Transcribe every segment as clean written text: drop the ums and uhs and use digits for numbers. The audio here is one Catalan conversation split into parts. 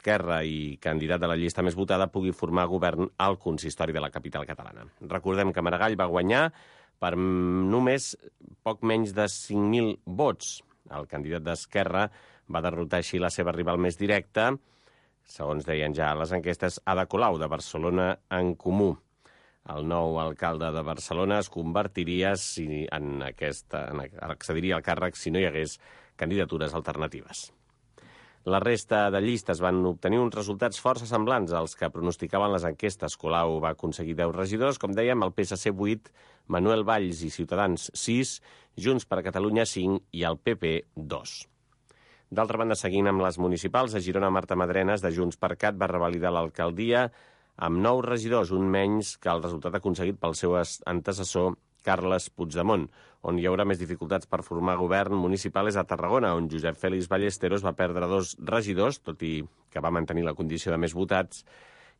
d'Esquerra i candidat de la llista més votada, pugui formar govern al consistori de la capital catalana. Recordem que Maragall va guanyar per només poc menys de 5.000 vots. El candidat d'Esquerra va derrotar així la seva rival més directa, segons deien ja les enquestes, Ada Colau, de Barcelona en Comú. El nou alcalde de Barcelona es convertiria accediria al càrrec si no hi hagués candidatures alternatives. La resta de llistes van obtenir uns resultats força semblants als que pronosticaven les enquestes. Colau va aconseguir 10 regidors, com dèiem, el PSC 8, Manuel Valls i Ciutadans 6, Junts per Catalunya 5 i el PP 2. D'altra banda, seguint amb les municipals, a Girona, Marta Madrenes, de Junts per Cat, va revalidar l'alcaldia amb 9 regidors, un menys que el resultat aconseguit pel seu antecessor Carles Puigdemont. On hi haurà més dificultats per formar govern municipal és a Tarragona, on Josep Félix Ballesteros va perdre 2 regidors, tot i que va mantenir la condició de més votats,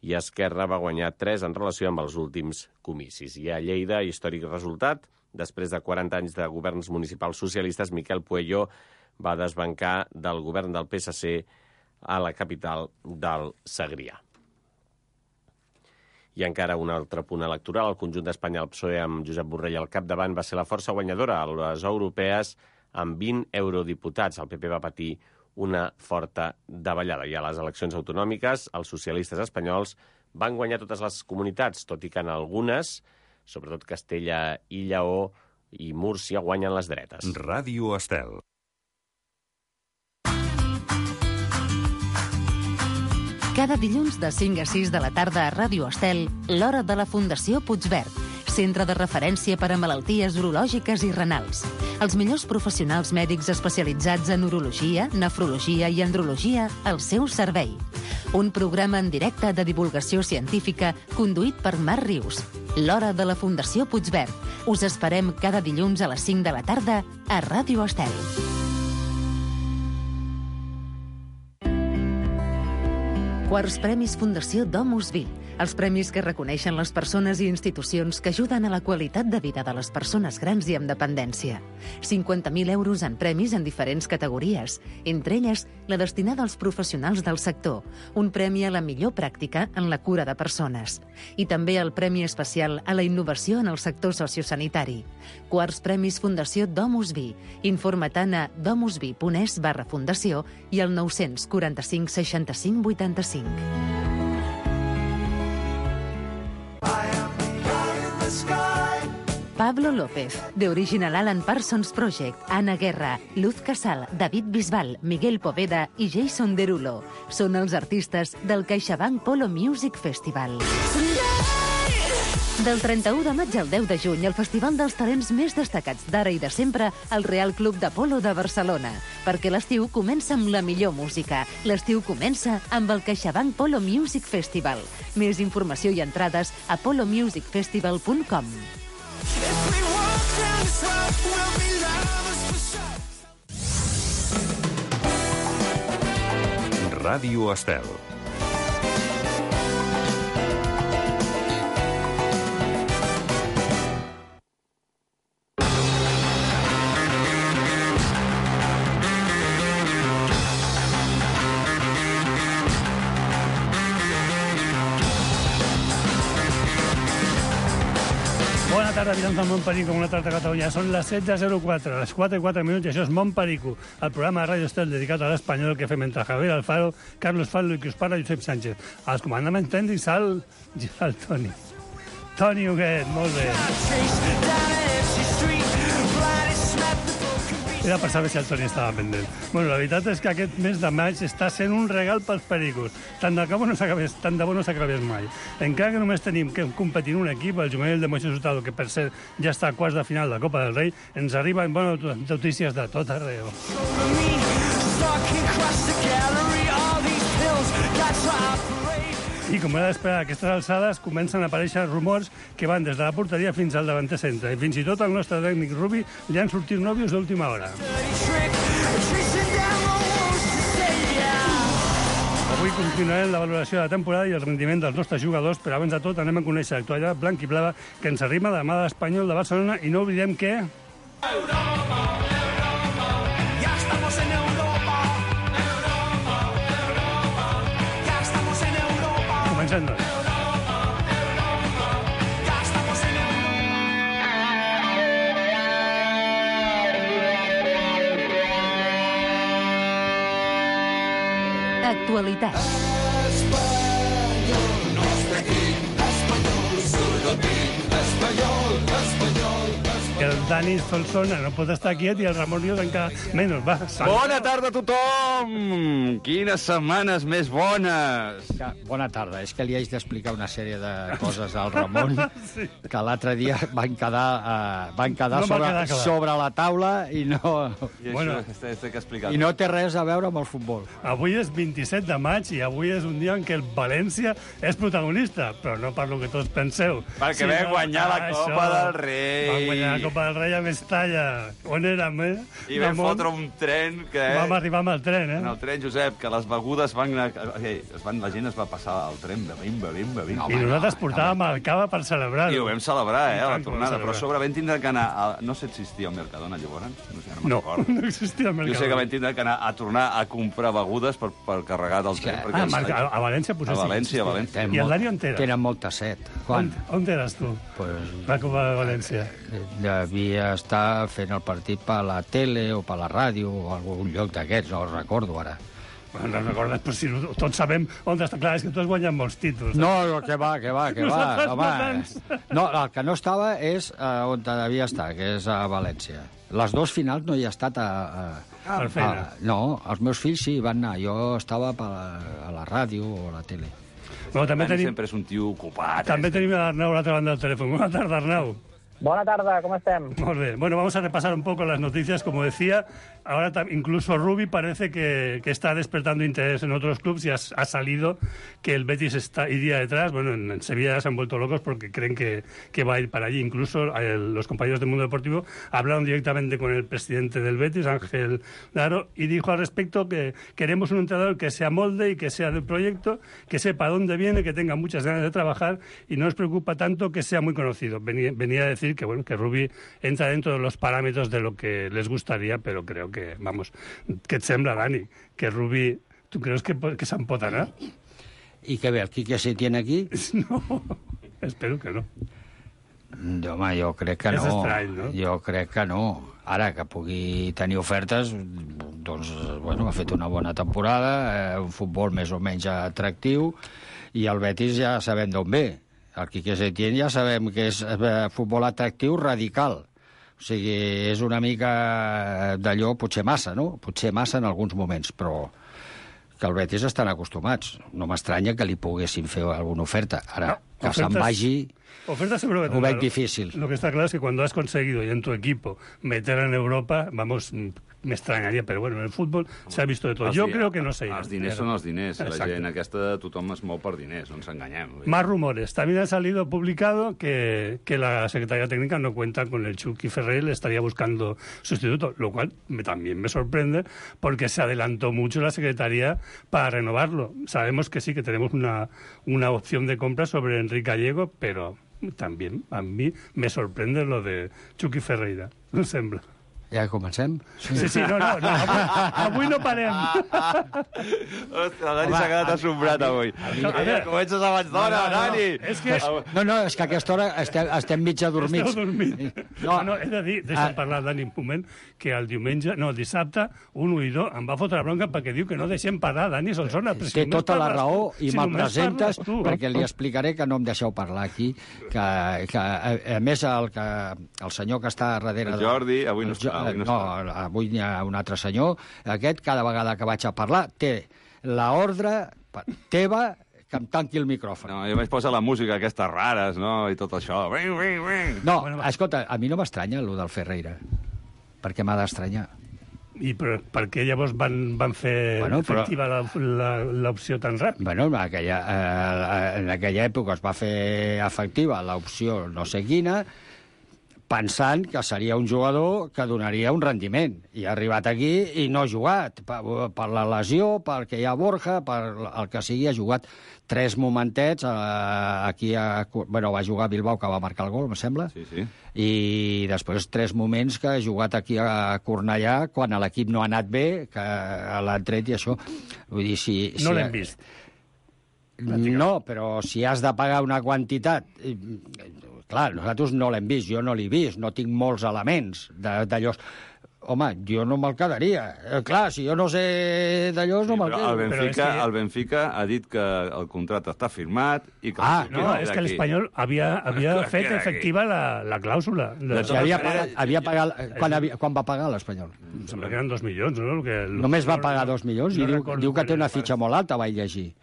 i Esquerra va guanyar 3 en relació amb els últims comicis. I a Lleida, històric resultat, després de 40 anys de governs municipals socialistes, Miquel Pueyo va desbancar del govern del PSC a la capital del Segrià. I encara un altre punt electoral. El conjunt d'Espanya, el PSOE, amb Josep Borrell al capdavant, va ser la força guanyadora a les europees amb 20 eurodiputats. El PP va patir una forta davallada. I a les eleccions autonòmiques, els socialistes espanyols van guanyar totes les comunitats, tot i que en algunes, sobretot Castella i Lleó i Múrcia, guanyen les dretes. Ràdio Estel. Cada dilluns de 5 a 6 de la tarda a Ràdio Estel, l'hora de la Fundació Puigverd, centre de referència per a malalties urològiques i renals. Els millors professionals mèdics especialitzats en urologia, nefrologia i andrologia al seu servei. Un programa en directe de divulgació científica conduït per Marc Rius. L'hora de la Fundació Puigverd. Us esperem cada dilluns a les 5 de la tarda a Ràdio Estel. Quarts Premis Fundació Domus Vi. Els premis que reconeixen les persones i institucions que ajuden a la qualitat de vida de les persones grans i amb dependència. 50.000 euros en premis en diferents categories, entre elles la destinada als professionals del sector, un premi a la millor pràctica en la cura de persones. I també el Premi Especial a la Innovació en el sector sociosanitari. Quarts Premis Fundació Domus Vi. Informa-te'n a domusvi.es/fundació i al 945 65 85. Pablo López, de Original Alan Parsons Project, Ana Guerra, Luz Casal, David Bisbal, Miguel Poveda i Jason Derulo són els artistes del CaixaBank Polo Music Festival. Del 31 de maig al 10 de juny, el festival dels talents més destacats d'ara i de sempre al Real Club de Polo de Barcelona. Perquè l'estiu comença amb la millor música. L'estiu comença amb el CaixaBank Polo Music Festival. Més informació i entrades a polomusicfestival.com. Ràdio Estel. Bona tarda, habitants del Montperico, una tarda a Catalunya. Són les 16:04, les 4:04 minuts, i això és Montperico, el programa de Ràdio Estel dedicat a l'espanyol que fem entre Javier Alfaro, Carlos Fallo i qui us parla, Josep Sánchez. Als comandaments tècnics, el Toni. Toni Huguet, molt bé. Era per saber si el Toni estava pendent. Bueno, la veritat és que aquest mes de maig està sent un regal pels pericos. Tant de bo no s'acabés mai. Encara que només tenim que competir un equip, el juvenil de Moisés Hurtado, que per cert ja està a quarts de final de la Copa del Rei, ens arriben bones notícies de tot arreu. I com era d'esperar, a aquestes alçades comencen a aparèixer rumors que van des de la porteria fins al davanter centre. I fins i tot al nostre tècnic Rubi li han sortit nòvios d'última hora. Avui continuarem la valoració de la temporada i el rendiment dels nostres jugadors, però abans de tot anem a conèixer l'actualitat blanc i blava que ens arriba de la mà de l'Espanyol de Barcelona, i no oblidem que... senyor. Actualitat. El Dani Solsona no pot estar quiet i el Ramon Rius encara menys. Va, Bona tarda a tothom! Quines setmanes més bones! Bona tarda. És que li haig d'explicar una sèrie de coses al Ramon que l'altre dia van quedar No va quedar clar. sobre la taula i no... I Bueno. això té que explicar. I no té res a veure amb el futbol. Avui és 27 de maig i avui és un dia en què el València és protagonista, però no per lo que tots penseu. Perquè vam guanyar la Copa del Rei. Vam guanyar la Copa del Rei a Mestalla. On érem, I vam fotre un tren que... Vam arribar amb el tren, En el tren, Josep, que les begudes van... La gent es va passar al tren bevent. I nosaltres portàvem el cava per celebrar-ho. I ho vam celebrar, I a la tant que ho vam tornada. Però a celebrar. sobre vam tindre que anar... No sé si existia el Mercadona, llavors. No sé, No, recordo. no existia el Jo Mercadona. sé que vam tindre que anar a tornar a comprar begudes per carregar del tren. perquè A València potser A sí. València, a València. I el Dani on era? Tenen molta set. Quan? On eres tu? Pues, La Copa de València. devia estar fent el partit per la tele o per la ràdio o algun lloc d'aquests, no ho recordo ara. Bueno, no recordes, però si tots sabem on està. Clar, és que tu has guanyat molts títols. No, que va. Nosaltres no Home, tants. no, el que no estava és on devia estar, que és a València. Les dues finals no hi ha estat Per feina. no, els meus fills sí van anar. Jo estava a la ràdio o a la tele. Bueno, també Dani tenim, sempre és un tio ocupat. també tenim l'Arnau a l'altra banda del telèfon. Buenas tardes, Arnau. Buena tarde, ¿cómo están? Muy bien. Bueno, vamos a repasar un poco las noticias. Como decía, ahora incluso Rubi parece que está despertando interés en otros clubes y ha salido que el Betis iría detrás. Bueno, en Sevilla ya se han vuelto locos porque creen que va a ir para allí. Incluso los compañeros del Mundo Deportivo hablaron directamente con el presidente del Betis, Ángel Daro, y dijo al respecto que queremos un entrenador que se amolde y que sea del proyecto, que sepa dónde viene, que tenga muchas ganas de trabajar y no nos preocupa tanto que sea muy conocido. Venía a decir que bueno, que Rubi entra dentro de los parámetros de lo que les gustaría, pero creo que, vamos, que et sembla, Dani, que Rubi, ¿tú crees que s'empotarà? I què ve, el Quique Setién aquí? No, espero que no. Home, jo crec que És no. estrany, no? Jo crec que no. Ara, que pugui tenir ofertes, doncs, bueno, ha fet una bona temporada, un futbol més o menys atractiu, i el Betis ja sabem d'on ve. El Quique Setién ja sabem que és futbol atractiu radical. O sigui, és una mica d'allò, potser massa, no? Potser massa en alguns moments, però que el Betis estan acostumats. No m'estranya que li poguessin fer alguna oferta. Ara, No, que se'n vagi... Ofertas seguro que Ho veig tendrá. difícil. Lo que está claro es que cuando has conseguido y en tu equipo meter en Europa, vamos, me extrañaría, pero bueno, en el fútbol se ha visto de todo. Yo creo que no sé. Els diners són els diners. La Exacte. gent aquesta, tothom es mou per diners, no ens enganyem. Más rumores. También ha salido publicado que la Secretaría Técnica no cuenta con el Chucky Ferrer, le estaría buscando sustituto, lo cual también me sorprende porque se adelantó mucho la Secretaría para renovarlo. Sabemos que sí, que tenemos una opción de compra sobre Enrique Gallego, pero también a mí me sorprende lo de Chucky Ferreira. No sembla. Ja comencem? Sí, no, avui no parem. Hòstia, el Dani s'ha quedat assombrat avui. A veure, Comences abans d'hora, Dani! és que... No, és que a aquesta hora estem mig adormits. Esteu dormint. No, he de dir, deixa'm parlar, Dani, un moment, que el dissabte, 1 i 2, em va fotre la bronca perquè diu que no deixem parlar Dani Solsona. Té tota la raó i me'l presentes tu. perquè li explicaré que no em deixeu parlar aquí, que a més el senyor que està darrere... El Jordi, avui no està. Avui hi ha un altre senyor. Aquest, cada vegada que vaig a parlar, té l'ordre teva que em tanqui el micròfon. No, jo vaig posar la música aquestes rares, no?, i tot això. No, escolta, a mi no m'estranya el del Ferreira. Per què m'ha d'estranyar? I per què llavors van fer efectiva l'opció tan ràpid? Bueno, en aquella època es va fer efectiva l'opció no sé quina, pensant que seria un jugador que donaria un rendiment. I ha arribat aquí i no ha jugat. Per la lesió, perquè hi ha Borja, per el que sigui, ha jugat 3 momentets. Aquí va jugar a Bilbao, que va marcar el gol, em sembla. Sí. I després 3 moments que ha jugat aquí a Cornellà, quan l'equip no ha anat bé, que l'han tret i això. Vull dir, No l'hem vist. No, però si has de pagar una quantitat... Clar, nosaltres no l'hem vist, jo no l'he vist, no tinc molts elements d'allò. Home, jo no me'l quedaria. Clar, si jo no sé d'allò, no me'l quedo. El Benfica ha dit que el contracte està firmat i que... No, és que l'Espanyol havia fet efectiva la clàusula. Quan va pagar l'Espanyol? Em sembla que eren 2 milions, no? Només va pagar 2 milions i diu que té una fitxa molt alta, vaig llegir.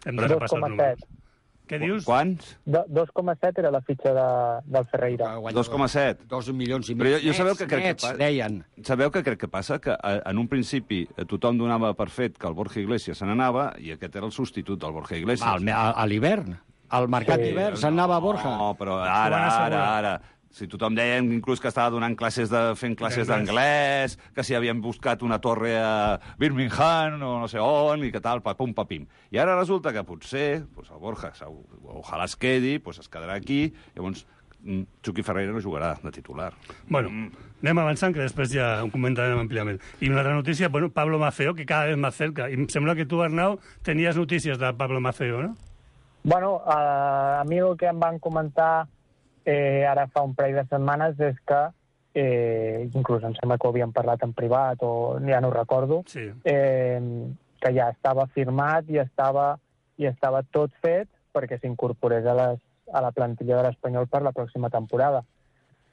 Hem de repassar els números. Què dius? Quants? 2,7 era la fitxa del Ferreira. 2,7. 2 milions i mig. Però jo sabeu que crec nets, deien. Sabeu que crec que passa? Que en un principi tothom donava per fet que el Borja Iglesias se n'anava i aquest era el substitut del Borja Iglesias. A l'hivern. Al mercat d'hivern se'n anava Borja. No, però ara. Si tothom deia inclús que estava donant fent classes d'anglès, que si havien buscat una torre a Birmingham o no sé on, i que tal, papum, papim. I ara resulta que potser el Borja, ojalà es quedi, es quedarà aquí, llavors Chucky Ferreira no jugarà de titular. Bueno, anem avançant, que després ja ho comentarem àmpliament. I una altra notícia, Pablo Maffeo, que cada vez más cerca. I em sembla que tu, Arnau, tenies notícies de Pablo Maffeo, no? Bueno, a mi el que em van comentar ara fa un parell de setmanes és que, inclús em sembla que ho havíem parlat en privat o ja no ho recordo, que ja estava firmat i estava tot fet perquè s'incorporés a la plantilla de l'Espanyol per la pròxima temporada.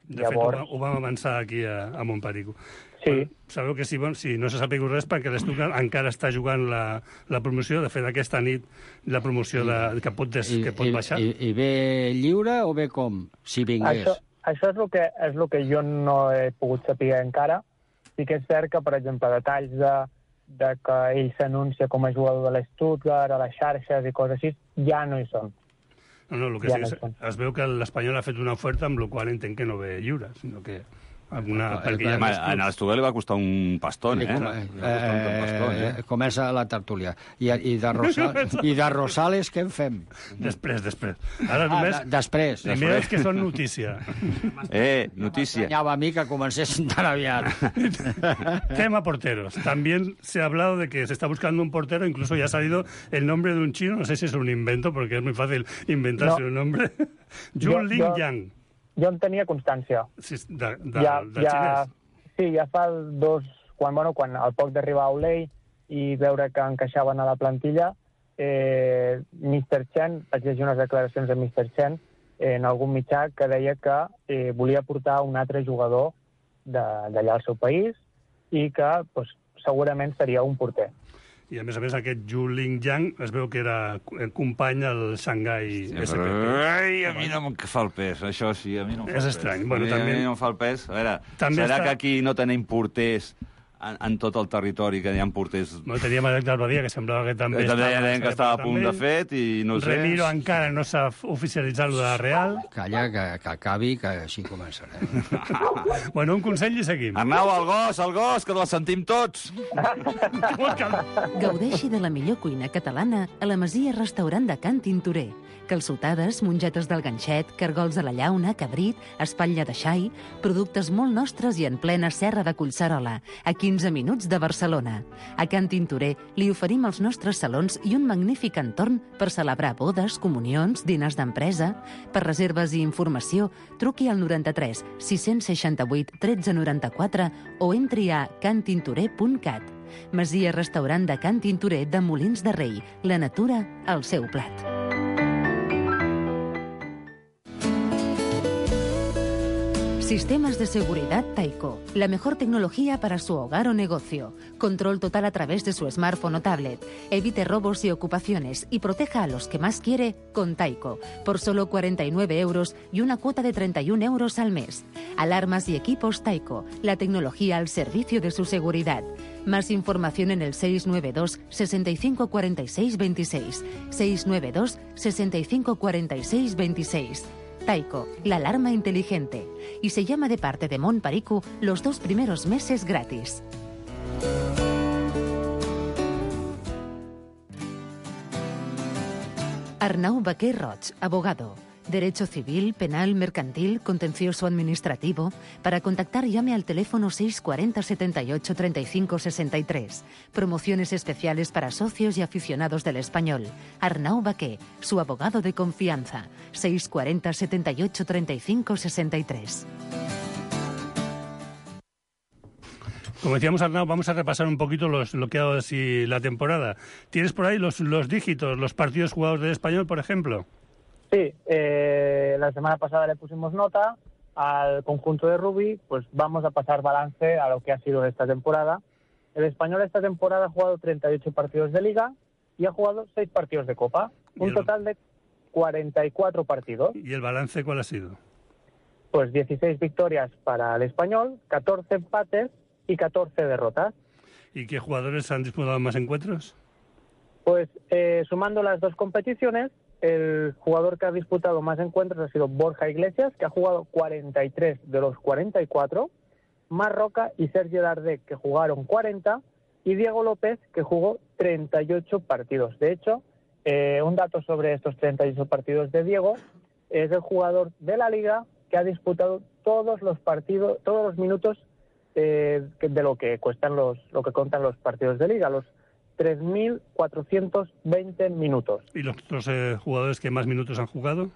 De fet, ho vam avançar aquí a Montperico. Sí. Sabeu que si no se sàpiga res perquè l'Stuttgart encara està jugant la promoció. De fet, aquesta nit la promoció que pot baixar. I ve lliure o ve com? Si vingués. Això és el que jo no he pogut saber encara. Sí que és cert que, per exemple, detalls de que ell s'anuncia com a jugador de l'Stuttgart, a les xarxes i coses així, ja no hi són. No, el que sí, es veu que l'Espanyol ha fet una oferta amb la qual entenc que no ve lliure, sinó que alguna... A l'Estudiant li va costar un pastón, Comença la tertúlia. I de Rosales què en fem? Després. Ara només... Després. Primer és que són notícia. Notícia. M'agranyava a mi que comencessin tan aviat. Tema porteros. También se ha hablado de que se está buscando un portero, incluso ya ha salido el nombre de un chino, no sé si es un invento, porque es muy fácil inventarse un nombre. Jun Ling Yang. Jo en tenia constància. Sí, del xinès. Sí, ja fa quan al poc d'arribar a Olei i veure que encaixaven a la plantilla, Mr. Chen, vaig llegir unes declaracions de Mr. Chen en algun mitjà que deia que volia portar un altre jugador d'allà al seu país i que segurament seria un porter. I, a més, aquest Zhu Lingyang es veu que era company al Shanghai SP. Ai, a mi no em fa el pes, això sí, a mi no em fa el pes. És estrany. A mi no em fa el pes. A veure, serà que aquí no tenim porters en tot el territori, que hi ha porters... No, teníem Alec d'Albadia, que semblava que també estava a punt de fet, i no sé... Remiro encara no s'ha oficialitzat lo de la Real. Calla, que acabi, que així començarem. Bueno, un consell i seguim. Arnau, el gos, que el sentim tots! Gaudeixi de la millor cuina catalana a la Masia Restaurant de Can Tintorer. Calçotades, mongetes del ganxet, cargols de la llauna, cabrit, espatlla de xai, productes molt nostres i en plena serra de Collserola, a 15 minuts de Barcelona. A Can Tintorer li oferim els nostres salons i un magnífic entorn per celebrar bodes, comunions, diners d'empresa. Per reserves i informació, truqui al 93 668 1394 o entri a cantintorer.cat. Masia Restaurant de Can Tintorer de Molins de Rei. La natura al seu plat. Sistemas de seguridad Taiko. La mejor tecnología para su hogar o negocio. Control total a través de su smartphone o tablet. Evite robos y ocupaciones y proteja a los que más quiere con Taiko. Por solo 49 euros y una cuota de 31 euros al mes. Alarmas y equipos Taiko. La tecnología al servicio de su seguridad. Más información en el 692 65 46 26. 692 65 46 26. Taiko, la alarma inteligente. Y se llama de parte de Montperico los 2 primeros meses gratis. Arnau Baquer Roig, abogado. Derecho civil, penal, mercantil, contencioso administrativo. Para contactar, llame al teléfono 640 78 35 63. Promociones especiales para socios y aficionados del Español. Arnau Baqué, su abogado de confianza. 640 78 35 63. Como decíamos, Arnau, vamos a repasar un poquito lo que ha dado así la temporada. ¿Tienes por ahí los dígitos, los partidos jugados del Español, por ejemplo? Sí, la semana pasada le pusimos nota al conjunto de rugby, pues vamos a pasar balance a lo que ha sido esta temporada. El Español esta temporada ha jugado 38 partidos de Liga y ha jugado 6 partidos de Copa, un total de 44 partidos. ¿Y el balance cuál ha sido? Pues 16 victorias para el Español, 14 empates y 14 derrotas. ¿Y qué jugadores han disputado más encuentros? Pues sumando las dos competiciones, el jugador que ha disputado más encuentros ha sido Borja Iglesias, que ha jugado 43 de los 44, Marroca y Sergi Darder, que jugaron 40, y Diego López, que jugó 38 partidos. De hecho, un dato sobre estos 38 partidos de Diego, es el jugador de la Liga que ha disputado todos los partidos, todos los minutos de lo que cuestan lo que contan los partidos de Liga, los 3.420 minutos. ¿Y los otros jugadores que más minutos han jugado?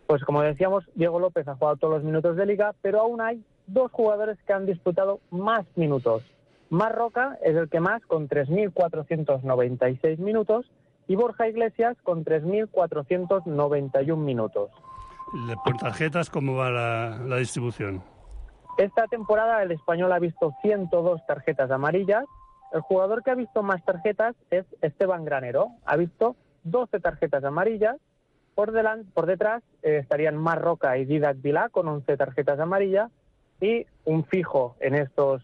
Pues como decíamos, Diego López ha jugado todos los minutos de Liga, pero aún hay 2 jugadores que han disputado más minutos. Marroca es el que más, con 3.496 minutos, y Borja Iglesias con 3.491 minutos. ¿Por tarjetas cómo va la distribución? Esta temporada el Español ha visto 102 tarjetas amarillas. El jugador que ha visto más tarjetas es Esteban Granero. Ha visto 12 tarjetas amarillas. Por detrás estarían Marroca y Didac Vilá con 11 tarjetas amarillas. Y un fijo en estos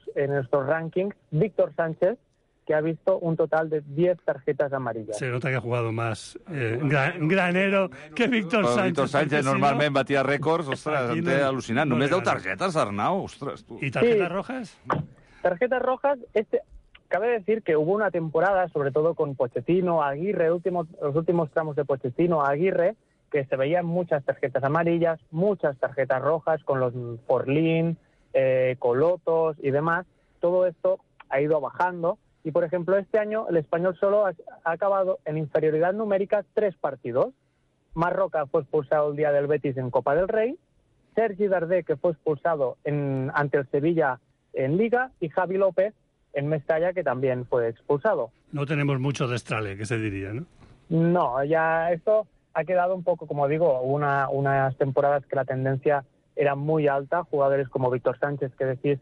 rankings, Víctor Sánchez, que ha visto un total de 10 tarjetas amarillas. Se nota que ha jugado más Granero que Víctor Sánchez. Víctor Sánchez normalment batia rècords, ostres, em té al·lucinant. Només 10 targetes, Arnau, ostres, tu. ¿Y tarjetas rojas? Tarjetas rojas, cabe decir que hubo una temporada, sobre todo con Pochettino, Aguirre, los últimos tramos de Pochettino, Aguirre, que se veían muchas tarjetas amarillas, muchas tarjetas rojas, con los Forlín, Colotos y demás. Todo esto ha ido bajando. Y, por ejemplo, este año el Español solo ha acabado en inferioridad numérica 3 partidos. Marroca fue expulsado el día del Betis en Copa del Rey, Sergi Darder, que fue expulsado ante el Sevilla en Liga, y Javi López en Mestalla, que también fue expulsado. No tenemos mucho destrale, que se diría, ¿no? No, ya esto ha quedado un poco, como digo, unas temporadas que la tendencia era muy alta. Jugadores como Víctor Sánchez, que decís,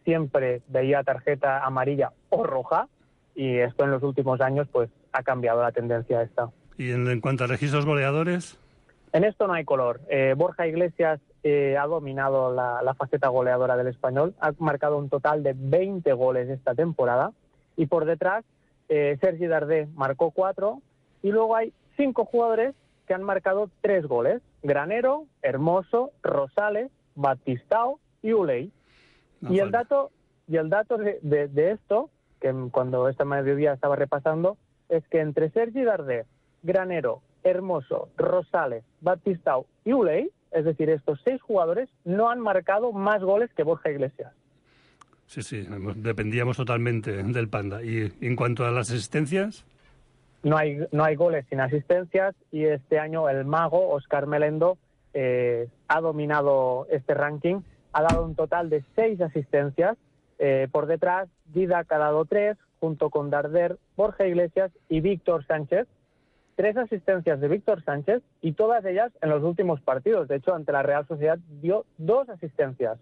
siempre veía tarjeta amarilla o roja, y esto en los últimos años pues ha cambiado la tendencia esta. ¿Y en cuanto a registros goleadores? En esto no hay color. Borja Iglesias ha dominado la faceta goleadora del Español, ha marcado un total de 20 goles esta temporada, y por detrás Sergi Darder marcó 4, y luego hay 5 jugadores que han marcado 3 goles: Granero, Hermoso, Rosales, Batistao y Uley. Y el dato de esto, que cuando esta mediodía estaba repasando, es que entre Sergi Darder, Granero, Hermoso, Rosales, Batistao y Uley, es decir, estos 6 jugadores, no han marcado más goles que Borja Iglesias. Sí, dependíamos totalmente del Panda. ¿Y en cuanto a las asistencias? No hay goles sin asistencias, y este año el mago, Óscar Melendo, ha dominado este ranking. Ha dado un total de 6 asistencias. Por detrás, Didac ha dado 3, junto con Darder, Borja Iglesias y Víctor Sánchez. 3 asistencias de Víctor Sánchez, y todas ellas en los últimos partidos. De hecho, ante la Real Sociedad dio 2 asistencias.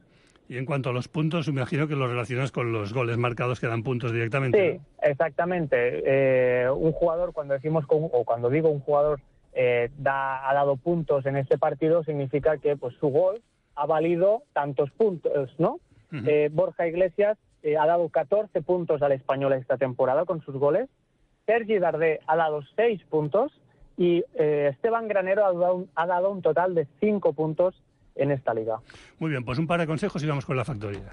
Y en cuanto a los puntos, me imagino que los relacionas con los goles marcados que dan puntos directamente. Sí, ¿no? Exactamente. Un jugador, cuando digo un jugador ha dado puntos en este partido, significa que pues su gol ha valido tantos puntos, ¿no? Uh-huh. Borja Iglesias ha dado 14 puntos al Español esta temporada con sus goles. Sergi Darder ha dado 6 puntos, y Esteban Granero ha dado un total de 5 puntos en esta liga. Muy bien, pues un par de consejos y vamos con la factoría.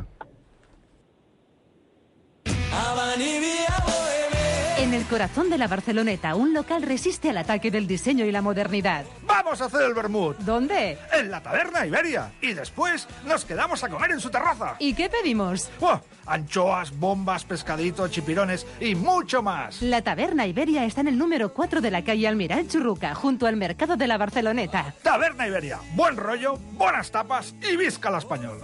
En el corazón de la Barceloneta, un local resiste al ataque del diseño y la modernidad. ¡Vamos a hacer el vermut! ¿Dónde? En la Taberna Iberia. Y después nos quedamos a comer en su terraza. ¿Y qué pedimos? ¡Oh! Anchoas, bombas, pescadito, chipirones y mucho más. La Taberna Iberia está en el número 4 de la calle Almirall Churruca, junto al mercado de la Barceloneta. Taberna Iberia. Buen rollo, buenas tapas y visca l'Espanyol.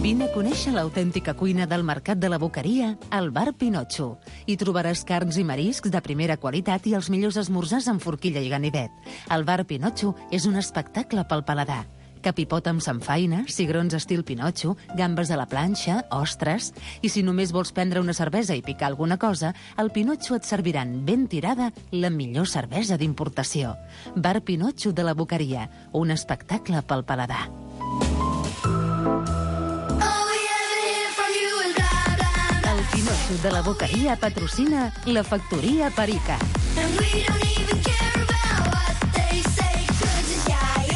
Vine a conèixer l'autèntica cuina del Mercat de la Boqueria al Bar Pinotxo. Hi trobaràs carns i mariscs de primera qualitat i els millors esmorzars amb forquilla i ganivet. El Bar Pinotxo és un espectacle pel paladar. Capipot amb samfaina, cigrons estil Pinotxo, gambes a la planxa, ostres... I si només vols prendre una cervesa i picar alguna cosa, al Pinotxo et serviran ben tirada la millor cervesa d'importació. Bar Pinotxo de la Boqueria, un espectacle pel paladar. Pinotxo de la Boqueria patrocina la Factoría Perica.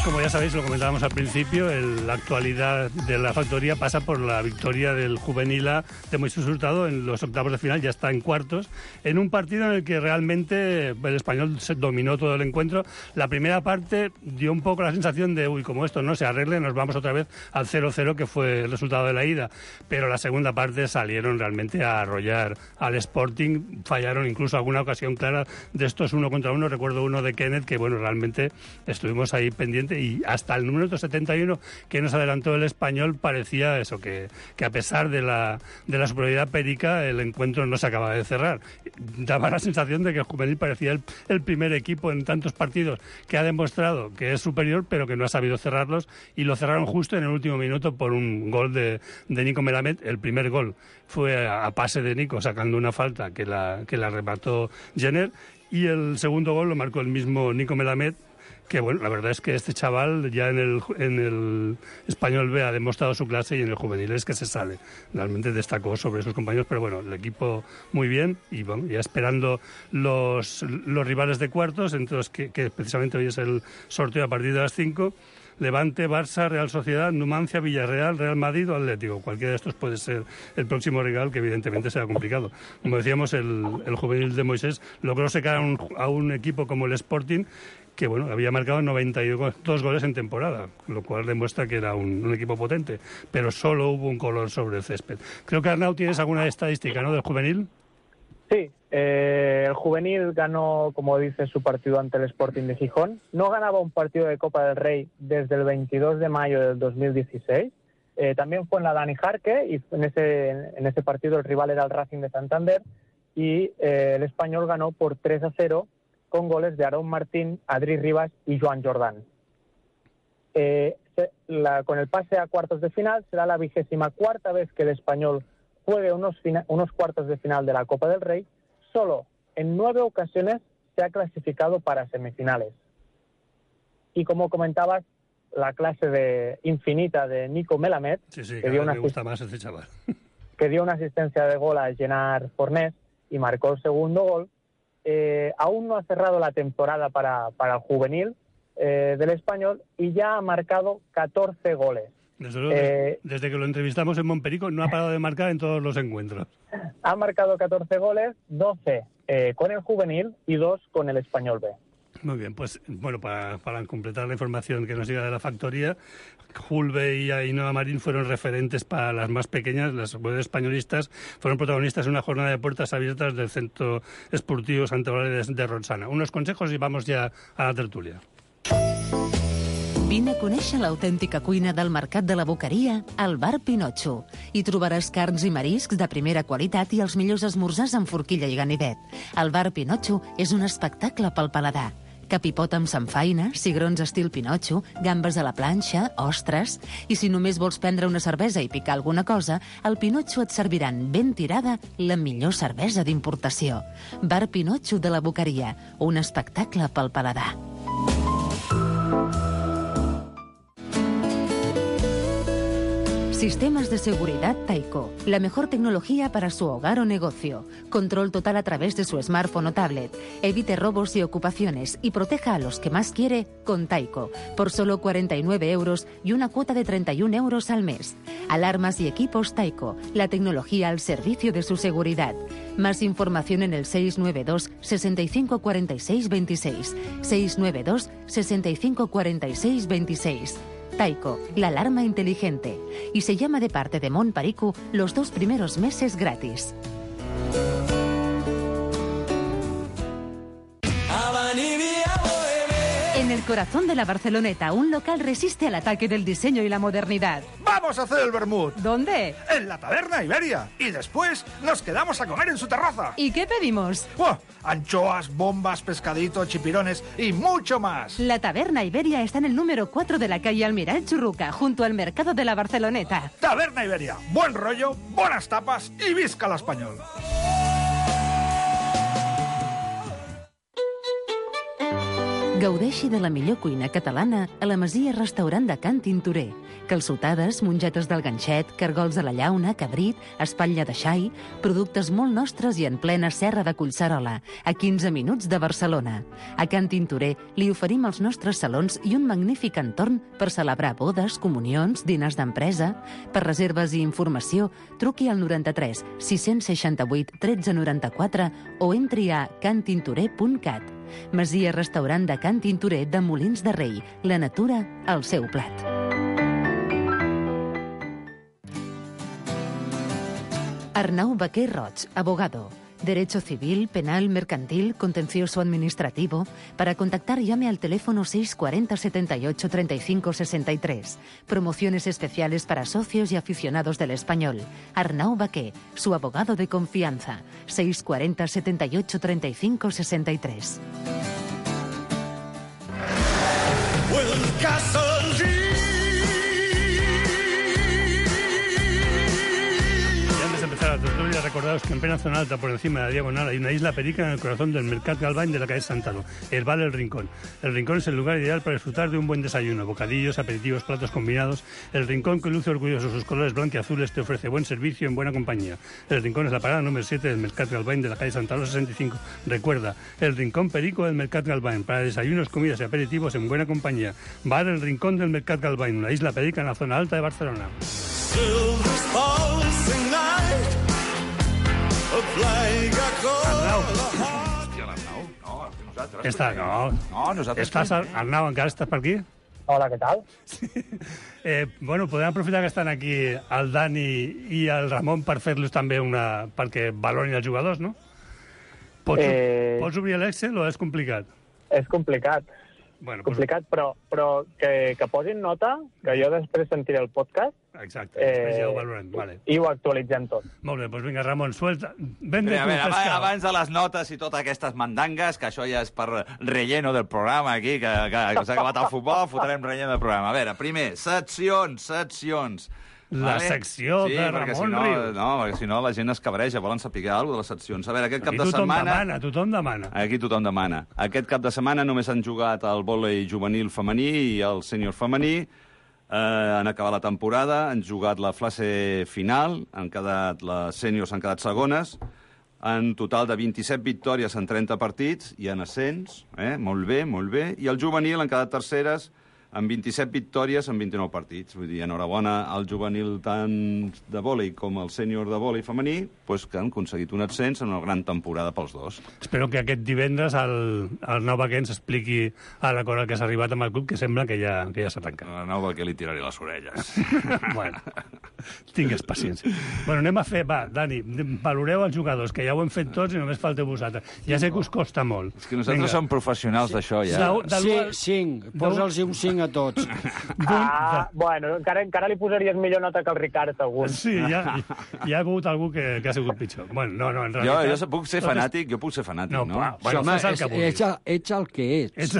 Como ya sabéis, lo comentábamos al principio, la actualidad de la factoría pasa por la victoria del Juvenil A de Moisés Hurtado en los octavos de final, ya está en cuartos, en un partido en el que realmente el Español se dominó todo el encuentro. La primera parte dio un poco la sensación de, como esto no se arregle, nos vamos otra vez al 0-0, que fue el resultado de la ida. Pero la segunda parte salieron realmente a arrollar al Sporting, fallaron incluso alguna ocasión clara de estos 1 contra 1. Recuerdo uno de Kenneth, que bueno, realmente estuvimos ahí pendientes. Y hasta el número 71 que nos adelantó el Español parecía eso, que a pesar de la superioridad perica el encuentro no se acababa de cerrar. Daba la sensación de que el Juvenil parecía el primer equipo en tantos partidos que ha demostrado que es superior pero que no ha sabido cerrarlos, y lo cerraron justo en el último minuto por un gol de Nico Melamed. El primer gol fue a pase de Nico sacando una falta que la remató Jenner, y el segundo gol lo marcó el mismo Nico Melamed, que bueno, la verdad es que este chaval ya en el Español B ha demostrado su clase, y en el juvenil es que se sale. Realmente destacó sobre sus compañeros, pero bueno, el equipo muy bien, y bueno, ya esperando los rivales de cuartos, entre los que precisamente hoy es el sorteo a partir de las 5. Levante, Barça, Real Sociedad, Numancia, Villarreal, Real Madrid o Atlético. Cualquiera de estos puede ser el próximo rival, que evidentemente será complicado. Como decíamos, el juvenil de Moisés logró secar a un equipo como el Sporting, que bueno, había marcado 92 goles en temporada, lo cual demuestra que era un equipo potente, pero solo hubo un color sobre el césped. Creo que, Arnau, tienes alguna estadística, ¿no?, del juvenil. Sí, el juvenil ganó, como dice, su partido ante el Sporting de Gijón. No ganaba un partido de Copa del Rey desde el 22 de mayo del 2016. También fue en la Dani Jarque, y en ese partido el rival era el Racing de Santander, y el Español ganó por 3-0 con goles de Aarón Martín, Adri Rivas y Joan Jordán. Con el pase a cuartos de final será la 24ª vez que el Español juegue unos cuartos de final de la Copa del Rey. Solo en 9 ocasiones se ha clasificado para semifinales. Y como comentabas, la clase infinita de Nico Melamed, que dio me gusta más ese chaval, que dio una asistencia de gol a Gerard Fornés y marcó el segundo gol. Aún no ha cerrado la temporada para el juvenil del Español, y ya ha marcado 14 goles. Desde luego, desde que lo entrevistamos en Montperico no ha parado de marcar en todos los encuentros. Ha marcado 14 goles, 12 con el juvenil y 2 con el Español B. Muy bien, pues bueno, para completar la información que nos llega de la factoría, Julbe y Ainhoa Marín fueron referentes para las más pequeñas. Las mujeres españolistas fueron protagonistas en una jornada de puertas abiertas del Centro Esportivo Santa Eulalia de Ronçana. Unos consejos y vamos ya a la tertulia. Vine a conèixer l'autèntica cuina del Mercat de la Boqueria al Bar Pinotxo. Hi trobaràs carns i mariscs de primera qualitat i els millors esmorzars amb forquilla i ganivet. El Bar Pinotxo és un espectacle pel paladar. Capipot amb samfaina, cigrons estil Pinotxo, gambes a la planxa, ostres... I si només vols prendre una cervesa i picar alguna cosa, al Pinotxo et serviran ben tirada la millor cervesa d'importació. Bar Pinotxo de la Boqueria, un espectacle pel paladar. Sistemas de seguridad Taiko. La mejor tecnología para su hogar o negocio. Control total a través de su smartphone o tablet. Evite robos y ocupaciones y proteja a los que más quiere con Taiko. Por solo 49 euros y una cuota de 31 euros al mes. Alarmas y equipos Taiko. La tecnología al servicio de su seguridad. Más información en el 692 65 46 26. 692 65 46 26. Taiko, la alarma inteligente. Y se llama de parte de Mon Pariku los 2 primeros meses gratis. En el corazón de la Barceloneta, un local resiste al ataque del diseño y la modernidad. ¡Vamos a hacer el vermut! ¿Dónde? En la Taberna Iberia. Y después nos quedamos a comer en su terraza. ¿Y qué pedimos? ¡Buah! Anchoas, bombas, pescadito, chipirones y mucho más. La Taberna Iberia está en el número 4 de la calle Almiral Churruca, junto al mercado de la Barceloneta. Taberna Iberia. Buen rollo, buenas tapas y visca l'espanyol. Gaudeixi de la millor cuina catalana a la Masia Restaurant de Can Tintorer. Calçotades, mongetes del ganxet, cargols a la llauna, cabrit, espatlla de xai, productes molt nostres i en plena serra de Collserola, a 15 minuts de Barcelona. A Can Tintorer li oferim els nostres salons i un magnífic entorn per celebrar bodes, comunions, dinars d'empresa. Per reserves i informació, truqui al 93 668 1394 o entri a cantintorer.cat. Masia Restaurant de Can Tintorer de Molins de Rei. La natura al seu plat. Arnau Baquer Roig, abogado. Derecho civil, penal, mercantil, contencioso administrativo. Para contactar, llame al teléfono 640 78 35 63. Promociones especiales para socios y aficionados del español. Arnau Baquer, su abogado de confianza. 640 78 35 63. La tertulia, recordados que en plena zona alta, por encima de la diagonal, hay una isla perica en el corazón del Mercat Galvany de la calle Santalo, el Bar El Rincón. El Rincón es el lugar ideal para disfrutar de un buen desayuno, bocadillos, aperitivos, platos combinados. El Rincón, que luce orgulloso sus colores blanquiazules, te ofrece buen servicio en buena compañía. El Rincón es la parada número 7 del Mercat Galvany de la calle Santalo 65. Recuerda, el Rincón Perico del Mercat Galvany, para desayunos, comidas y aperitivos en buena compañía. Bar El Rincón del Mercat Galvany, una isla perica en la zona alta de Barcelona. Arnau. Hòstia, l'Arnau. No, nosaltres. Està, no. No, nosaltres. Estàs, Arnau, encara estàs per aquí? Hola, què tal? Sí. Bueno, podem aprofitar que estan aquí el Dani i el Ramon per fer-los també perquè valorin els jugadors, no? Pots obrir l'Excel o és complicat? És complicat. Bueno, complicat, però que posin nota, que jo després sentiré el podcast. Exacte, després ja ho valorem. Vale. I ho actualitzem tot. Molt bé, doncs vinga, Ramon, suelta. Abans de les notes i totes aquestes mandangues, que això ja és per relleno del programa aquí, que s'ha acabat el futbol, fotrem relleno del programa. A veure, primer, seccions. La secció de Ramon Rius. No, perquè si no la gent es cabreja, volen saber alguna cosa de les seccions. A veure, aquest cap de setmana... Tothom demana. Aquí tothom demana. Aquest cap de setmana només han jugat el vòlei juvenil femení i el sènior femení. Han acabat la temporada, han jugat la fase final, les sèniors han quedat segones, en total de 27 victòries en 30 partits, i en ascens, molt bé, i el juvenil han quedat terceres, amb 27 victòries en 29 partits. Vull dir, enhorabona al juvenil tant de vòlei com al sènior de vòlei femení, que han aconseguit un ascens en una gran temporada pels dos. Espero que aquest divendres el Arnau Baquer ens expliqui a l'acord al que s'ha arribat amb el club, que sembla que ja s'ha tancat. Arnau Baquer li tiraré les orelles. Bueno, tingues paciència. Bueno, anem a fer... Va, Dani, valoreu els jugadors, que ja ho hem fet tots i només falteu vosaltres. Ja sé que us costa molt. És que nosaltres som professionals d'això, ja. Sí, 5. Posa'ls un 5 a tots. Bueno, encara li posaries millor nota que el Ricard, algun. Sí, ja ha hagut algú que ha sigut pitjor. Bueno, no, en realitat... Jo puc ser fanàtic, no? Bueno, home, ets el que ets.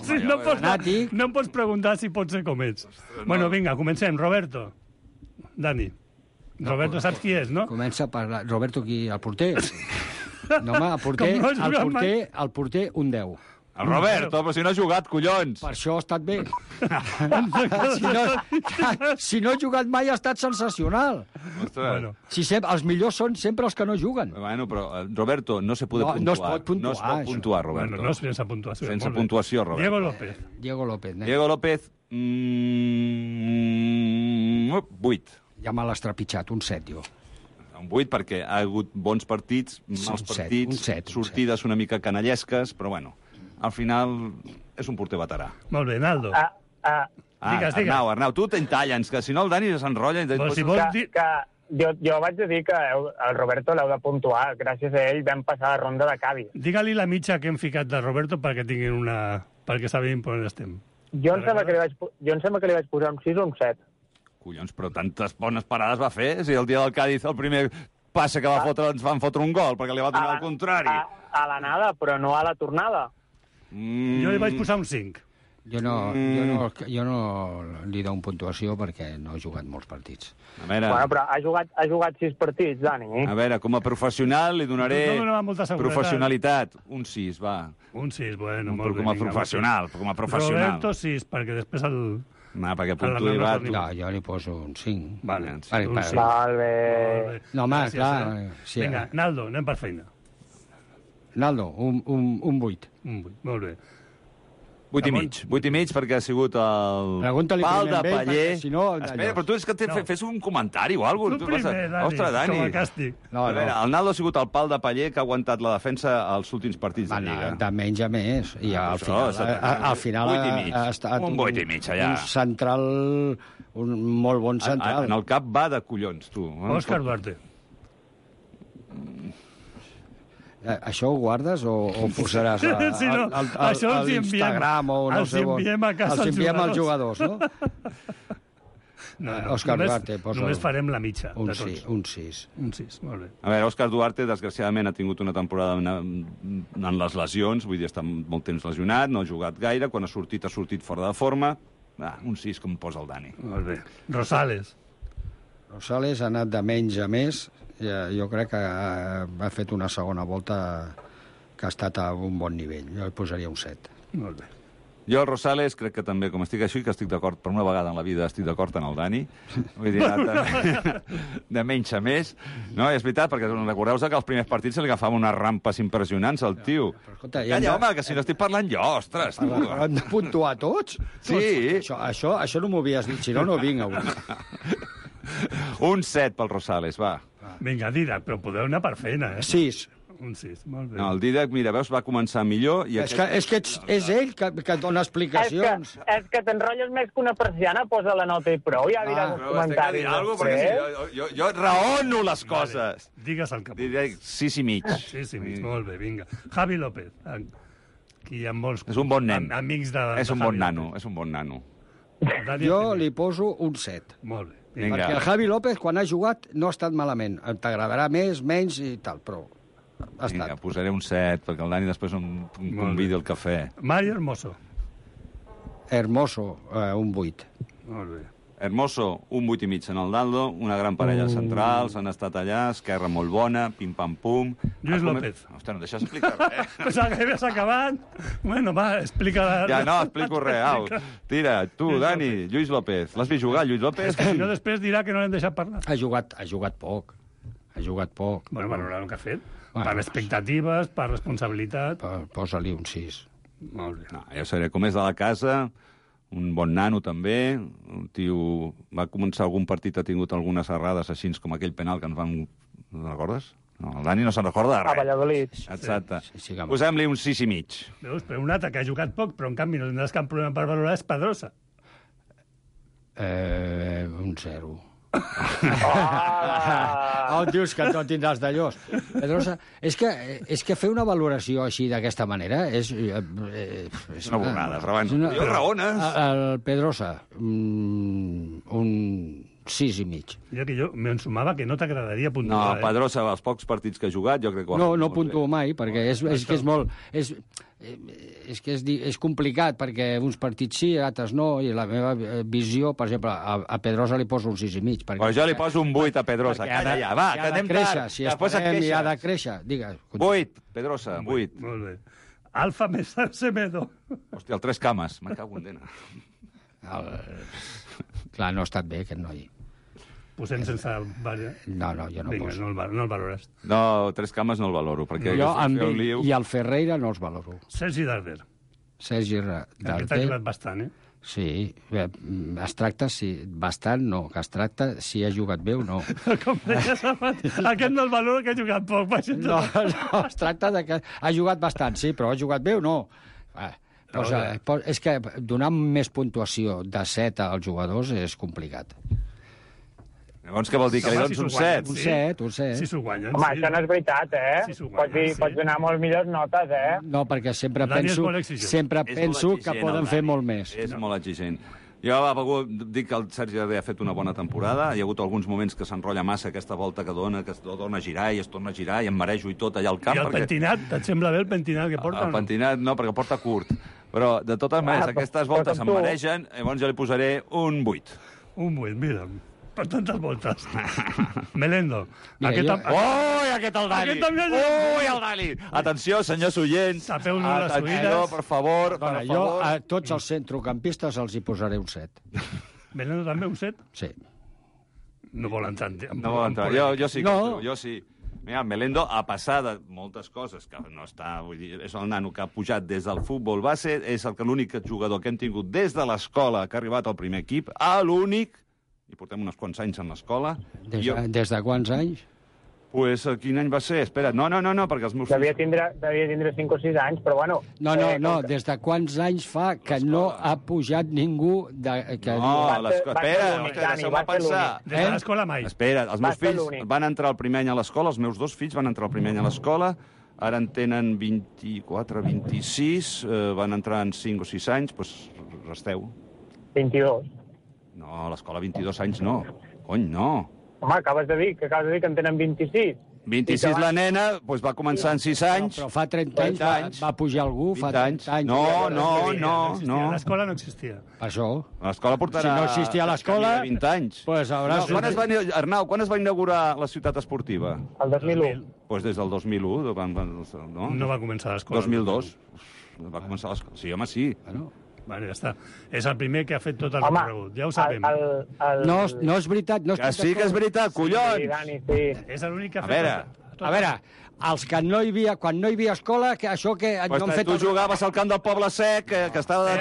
Sí, no em pots preguntar si pots ser com ets. Bueno, vinga, comencem. Roberto. Dani. Roberto, saps qui és, no? Comença a parlar. Roberto, qui? El porter? No, home, el porter un 10. El Roberto, però si no ha jugat, collons. Per això ha estat bé. Si no ha jugat mai ha estat sensacional. Bueno. Els millors són sempre els que no juguen. Bueno, però, Roberto, no se puede puntuar. No es pot puntuar. No es pot puntuar, Roberto. Bueno, no sense puntuació. Sense puntuació, Roberto. Diego López. Diego López, 8. Ja me l'has trepitjat, un 7, jo. Un 8 perquè ha hagut bons partits, mals partits, sortides una mica canallesques, però bueno, al final és un porter veterà. Molt bé, Naldo. Digues. Arnau, tu t'entallens, que si no el Dani s'enrotlla... Jo vaig dir que el Roberto l'heu de puntuar. Gràcies a ell vam passar la ronda de Cavi. Digue-li la mitja que hem ficat de Roberto perquè tinguin perquè sabin per on estem. Jo em sembla que li vaig posar un 6 o un 7. Collons, però tantes bones parades va fer. Si el dia del Cádiz el primer passe que va fotre ens van fotre un gol, perquè li va donar el contrari. A l'anada, però no a la tornada. Jo li vaig posar un 5. Jo no li dono puntuació perquè no ha jugat molts partits. A veure... Bueno, però ha jugat 6 partits, Dani. A veure, com a professional li donaré professionalitat. Un 6, va. Un 6, bueno, molt bé. Com a professional. Roberto 6, perquè després el... perquè puntuï va... No, jo li poso un 5. Vale, un 5. Molt bé. No, home, clar... Vinga, Naldo, anem per feina. Naldo, un 8. Un 8, molt bé. 8 i mig, perquè ha sigut el pal de paller. Si no, espera, però tu és que fes un comentari o alguna cosa. Tu primer, Dani, ostres, Dani. com a càstig. A veure, el Naldo ha sigut el pal de paller que ha aguantat la defensa als últims partits de Lliga. De menys a més. I al final ha estat un 8 i mig, allà. Un central, un molt bon central. En el cap va de collons, tu. Òscar Duarte. Això ho guardes o posaràs a l'Instagram o no sé on? Els enviem als jugadors, no? Òscar Duarte, posa... Només farem la mitja un de tots. Un 6. Un 6, molt bé. A veure, Òscar Duarte, desgraciadament, ha tingut una temporada en les lesions, vull dir, està molt temps lesionat, no ha jugat gaire, quan ha sortit fora de forma. Un 6, com posa el Dani. Molt bé. Rosales ha anat de menys a més. Jo crec que ha fet una segona volta que ha estat a un bon nivell. Jo li posaria un 7. Molt bé. Jo, el Rosales, crec que també, com estic així, que estic d'acord, per una vegada en la vida estic d'acord amb el Dani. Vull dir, de menys a més. No, és veritat, perquè recordeu que als primers partits se li agafaven unes rampes impressionants al tio. Calla, home, que si no estic parlant jo, ostres. Hem de puntuar tots? Sí. Això no m'ho havies dit, si no, no vinc avui. Un 7 pel Rosales, va. Vinga, Didac, però podeu anar per feina, 6. Un 6, molt bé. No, el Didac, mira, veus, va començar millor... I és que és ell que dona explicacions. És que t'enrotlles més que una persiana, posa la nota i prou, ja diràs els comentaris. Jo raono les coses. Digues el que pots. 6 i mig. 6 i mig, molt bé, vinga. Javi López, aquí hi ha molts... És un bon nen. Amics de És un bon nano, és un bon nano. Jo li poso un 7. Molt bé. Vinga. Perquè el Javi López, quan ha jugat, no ha estat malament. T'agradarà més, menys i tal, però ha estat. Vinga, posaré un 7, perquè el Dani després em convidi al cafè. Mario Hermoso. Un 8. Molt bé. Hermoso, un 8 i mig en el Naldo, una gran parella centrals, han estat allà, esquerra molt bona, pim-pam-pum... Lluís López. Ostres, no deixes explicar res. Pensava que havies acabat. Bueno, va, explica... Ja no, explico res, au. Tira, tu, Dani, Lluís López. L'has vist jugar, Lluís López? Si no, després dirà que no l'hem deixat parlar. Ha jugat poc. Bueno, valorar el que ha fet. Per expectatives, per responsabilitat... Posa-li un 6. Molt bé. No, jo seré com és de la casa... Un bon nano, també. Un tio... Va començar algun partit, ha tingut algunes errades així com aquell penal que ens van... No recordes? No, el Dani no se'n recorda de res. A Valladolid. Exacte. Posem-li un 6 i mig. Veus, però un altre que ha jugat poc, però en canvi no tindràs cap problema per valorar, és Pedrosa. Un 0. Dius que no tindràs d'allòs. Pedrosa, és que fer una valoració així d'aquesta manera és una borrada, jo raones. El Pedrosa, un 6 i mig. Jo m'ensumava que no t'agradaria puntuar. No, Pedrosa, els pocs partits que ha jugat, jo crec que ho ha fet. No puntuo mai, perquè és que és molt... És complicat, perquè uns partits sí, altres no, i la meva visió, per exemple, a Pedrosa li poso un 6 i mig. Però jo li poso un 8 a Pedrosa. Calla ja, va, que anem tard. Si esperem, ha de créixer. Digues. 8, Pedrosa, 8. Molt bé. Alfa més Semedo. Hòstia, el Tres Cames. Me cago en dena. Clar, no ha estat bé, aquest noi. Posem sense... No, jo no poso. No el valores. No, Tres Cames no el valoro, perquè... Jo amb ell i el Ferreira no els valoro. Sergi Darder. Sergi Darder. Aquest ha jugat bastant, Sí, es tracta, bastant no, que es tracta si ha jugat bé o no. Com deies abans, aquest no el valora que ha jugat poc. No, es tracta de que ha jugat bastant, sí, però ha jugat bé o no? És que donar més puntuació de 7 als jugadors és complicat. Llavors, què vol dir? Que li dones un 7? Un 7, un 7. Si s'ho guanyen, home, això no és veritat, Pots donar molt millors notes, No, perquè sempre penso que poden fer molt més. És molt exigent. Jo dic que el Sergi Darder ha fet una bona temporada. Hi ha hagut alguns moments que s'enrotlla massa aquesta volta que es torna a girar i es torna a girar i em marejo i tot allà al camp. I el pentinat? Et sembla bé el pentinat que porta? El pentinat no, perquè porta curt. Però, de totes maneres, aquestes voltes em maregen, llavors jo li posaré un 8. Un 8, mira. Per tantes voltes. Melendo. Aquest el Dani! Ui, el Dani! Atenció, senyors oients. Tapeu-nos les oïdes. Per favor, Jo a tots els centrocampistes els hi posaré un 7. Melendo també un 7? Sí. No vol entrar. No vol entrar. Jo sí que jo sí. Mira, Melendo, a passar de moltes coses, que no està... Vull dir, és el nano que ha pujat des del futbol base, és l'únic jugador que hem tingut des de l'escola que ha arribat al primer equip, l'únic, i portem uns quants anys en l'escola. Des de quants anys? Pues, quin any va ser? Espera, no, perquè els meus fills... Devia tindre 5 o 6 anys, però bueno... No, des de quants anys fa que no ha pujat ningú... Espera, deixeu-me pensar. Des de l'escola mai. Espera, els meus fills van entrar el primer any a l'escola, els meus 2 fills van entrar el primer any a l'escola, ara en tenen 24, 26, van entrar en 5 o 6 anys, doncs resteu. 22. No, a l'escola 22 anys no. Cony, no. Home, acabes de dir que en tenen 26. 26 la nena, doncs va començar en 6 anys. Però fa 30 anys va pujar algú, fa 30 anys. No. L'escola no existia. Per això. L'escola portarà... Si no existia l'escola... 20 anys. Arnau, quan es va inaugurar la ciutat esportiva? El 2001. Doncs des del 2001. No va començar l'escola. 2002. Va començar l'escola. Sí, home, sí. Vale, ja està. És el primer que ha fet tot el recorregut. Ja ho sabem. No és veritat. Que sí que és veritat, collons! Sí, Dani, sí. És l'únic que ha fet... A veure, els que quan no hi havia escola, que això que no han fet... Tu jugaves al camp del Poble Sec, que estava...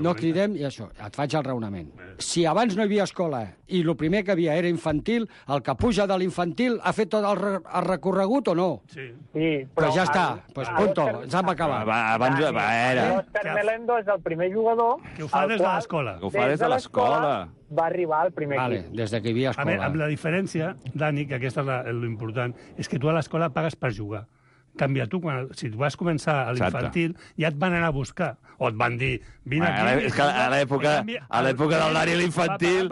No cridem, i això, et faig el raonament. Si abans no hi havia escola i el primer que havia era infantil, el que puja de l'infantil ha fet tot el recorregut o no? Sí. Però ja està, punto, ens hem acabat. L'Òscar Melendo és el primer jugador... Que ho fa des de l'escola. Que ho fa des de l'escola. Va arribar al primer equip. Des que hi havia escola. Amb la diferència, Dani, que aquesta és l'important, és que tu a l'escola pagues per jugar. Canvia, tu, si tu vas començar a l'infantil, ja et van anar a buscar. O et van dir, vine aquí... És que a l'època del Dani a l'infantil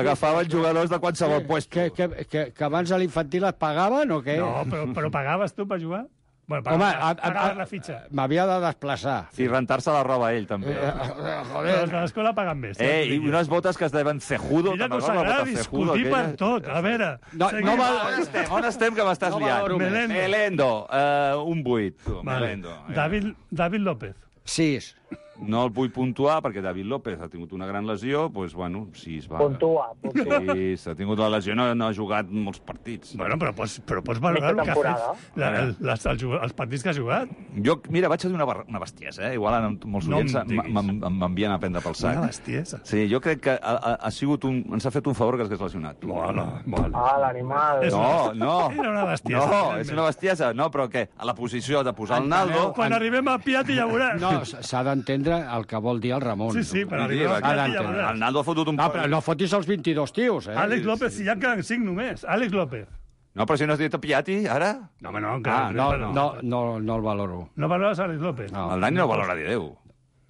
agafaven jugadors de qualsevol puesto. Que abans a l'infantil et pagaven o què? No, però pagaves tu per jugar? Bueno, pagaves la fitxa. M'havia de desplaçar. I rentar-se la roba ell, també. Joder. Els de l'escola paguen més. I unes botes que es deien cejudo. Mira que us agrada discutir per tot. A veure... On estem, que m'estàs liant? Melendo. Un 8. Melendo. David López. 6. No el vull puntuar perquè David López ha tingut una gran lesió, doncs, bueno, 6 va. Puntua. Sí, s'ha tingut la lesió, no ha jugat molts partits. Bueno, però pots valorar el que ha fet, els partits que ha jugat. Jo, mira, vaig a dir una bestiesa, Igual molts oients m'envien a prendre pel sac. Una bestiesa. Sí, jo crec que ens ha fet un favor que s'hagués lesionat. L'animal. No. Era una bestiesa. No, és una bestiesa. No, però què? A la posició de posar el Naldo... Quan arribem a Piatti ja veuràs. No, s'ha d'entendre el que vol dir el Ramon. Sí, per arribar a Piatti ja veuràs. El Naldo ha fotut un... No, però no fotis els 22 tios, Àlex López, si ja en queden 5 només. Àlex López. No, però si no has dit a Piatti, ara? No, home, no. No el valoro. No valores Àlex López? El Dani no valora ni Déu.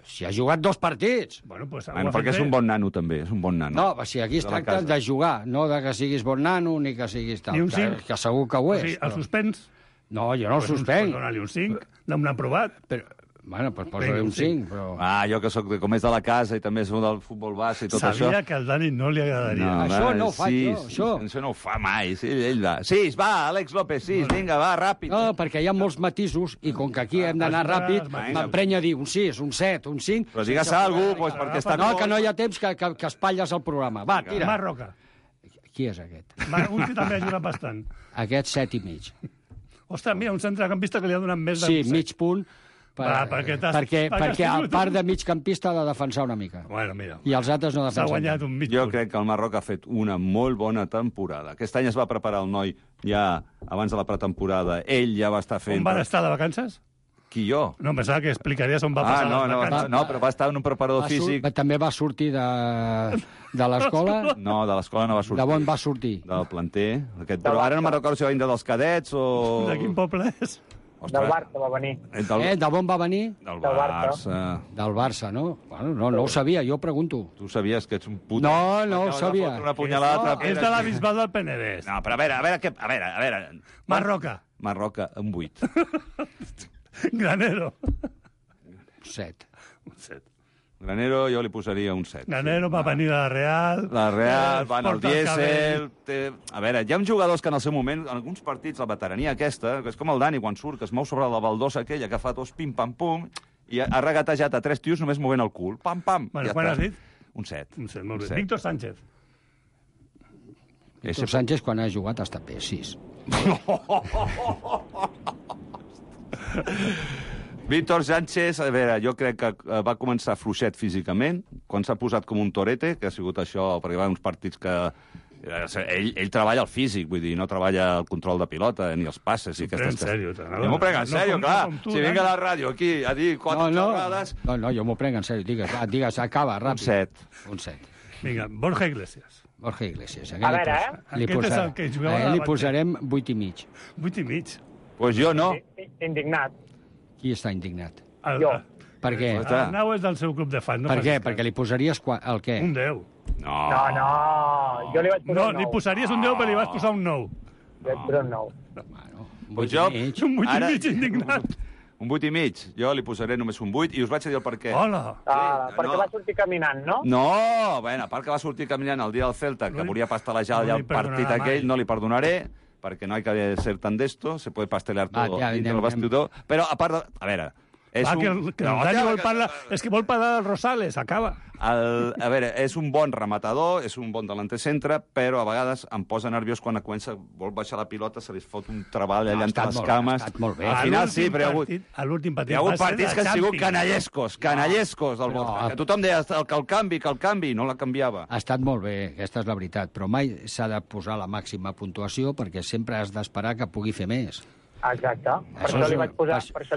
Si ha jugat 2 partits. Bueno, perquè és un bon nano, també. És un bon nano. No, si aquí es tracta de jugar, no de que siguis bon nano ni que siguis tal. Ni un 5? Que segur que ho és. O sigui, el suspens? No, jo no el suspenc. Dóna-li un 5, l'hem aprovat. Bueno, doncs posa-li un 5, però... Jo que soc com és de la casa i també soc del futbol base i tot això... Sabia que al Dani no li agradaria. Això no ho faig jo, Això no ho fa mai. Sí, ell va. 6, va, Àlex López, 6, vinga, va, ràpid. No, perquè hi ha molts matisos i com que aquí hem d'anar ràpid, m'emprenya a dir un 6, un 7, un 5... Però digues alguna cosa, perquè està... No, que no hi ha temps que espatlles el programa. Va, tira. Marroca. Qui és aquest? Un que també ha ajudat bastant. Aquest 7 i mig. Ostres, mira, un centrecampista que li ha donat més de... Sí, mig punt, perquè a part de migcampista ha de defensar una mica. Bueno, mira. I els altres no defensen. S'ha guanyat un mig Jo punt. crec que el Marroc ha fet una molt bona temporada. Aquest any es va preparar el noi ja abans de la pretemporada. Ell ja va estar fent... On van estar de vacances? Qui, jo? No, pensava que explicaries on va passar les vacances. No, però va estar en un preparador físic... També va sortir de l'escola? No, de l'escola no va sortir. De on va sortir? Del planter. Però ara no me'n recordo si va vindre dels cadets o... De quin poble és? Del Barça va venir. D'on va venir? Del Barça. Del Barça, no? Bueno, no ho sabia, jo pregunto. Tu sabies que ets un puto... No ho sabia. Una punyalada És de la Bisbal del Penedès. No, però a veure... Marroca. Marroca, un 8. Granero. 7. Un 7. Granero jo li posaria un 7. Granero va venir de la Real. La Real, van al porta el dièsel... A veure, hi ha jugadors que en el seu moment, en alguns partits, la veterania aquesta, que és com el Dani quan surt, que es mou sobre la baldosa aquella, que fa tots pim-pam-pum, i ha regatejat a 3 tios només movent el cul. Pam-pam. Bueno, quan has dit? Un 7. Un 7, molt bé. Víctor Sánchez. Víctor Sánchez, quan ha jugat, ha estat bé, 6. Víctor Sánchez, a veure, jo crec que va començar fluixet físicament, quan s'ha posat com un torete, que ha sigut això, perquè va uns partits que... Ell treballa el físic, vull dir, no treballa el control de pilota, ni els passes. T'ho prenc en sèrio. Jo m'ho prenc en sèrio, clar. Si vinc a la ràdio aquí a dir 4 xerrades... No, jo m'ho prenc en sèrio. Digues, acaba, ràpid. Un 7. Vinga, Borja Iglesias. Borja Iglesias. A veure, Aquest és el que jugava... Li posarem 8 i mig. 8 i mig. Pues jo no. Indignat. Qui està indignat? Jo. Per què? El Arnau és del seu club de fans. Per què? Perquè li posaries el què? Un 10. No. Jo li vaig posar un 9. No, li posaries un 10, però li vas posar un 9. Li vaig posar un 9. Pues jo... Un 8 i mig indignat. Un 8 i mig. Jo li posaré només un 8 i us vaig a dir el per què. Hola. Perquè va sortir caminant, no? No, bueno, a part que va sortir caminant el dia del Celta, que volia pastelejar ja el partit aquell, no li perdonaré, perquè no hay que ser tan d'esto, se puede pastelear todo dintre del vestidor. Però, a part de... A veure... Que el Dani vol parlar... És que vol parlar del Rosales, acaba. A veure, és un bon rematador, és un bon delanter centre, però a vegades em posa nerviós quan vol baixar la pilota, se li fot un treball allà entre les cames. Ha estat molt bé. Al final sí, però hi ha hagut partits que han sigut canallescos del Borja. Que tothom deia que el canvi, no la canviava. Ha estat molt bé, aquesta és la veritat, però mai s'ha de posar la màxima puntuació perquè sempre has d'esperar que pugui fer més. Exacte. Per això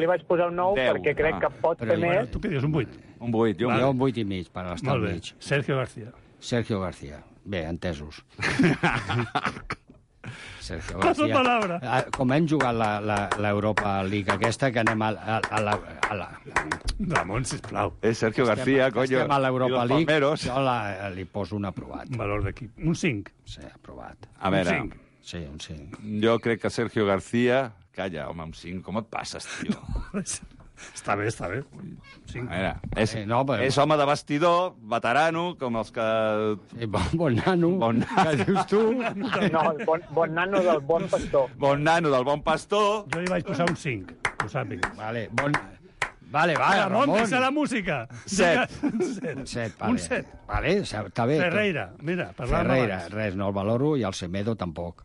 li vaig posar un 9, perquè crec que pot fer més. Tu què dius, un 8? Un 8. Jo un 8 i mig, per estar al mig. Sergio García. Sergio García. Bé, entesos. Sergio Paso palabra. Com hem jugat l'Europa League aquesta, que anem a la... Ramon, sisplau. És Sergio García, coño. Estem a l'Europa League, jo li poso un aprovat. Un valor d'equip. Un 5. Sí, aprovat. A veure... Un 5. Sí, un 5. Jo crec que Sergio García... Calla, home, un 5. Com et passes, tio? Està bé. 5. A veure, és home de vestidor, veterano, com els que... Sí, bon nano, que dius tu. No, bon nano del bon pastor. Bon nano del bon pastor. Jo li vaig posar un 5, ho sàpigues. Vale, Ramon, deixa la música. 7. Un 7, vale. Un 7. Vale, està bé. Ferreira, mira, parlàvem Ferreira, abans. res, no el valoro, i el Semedo tampoc.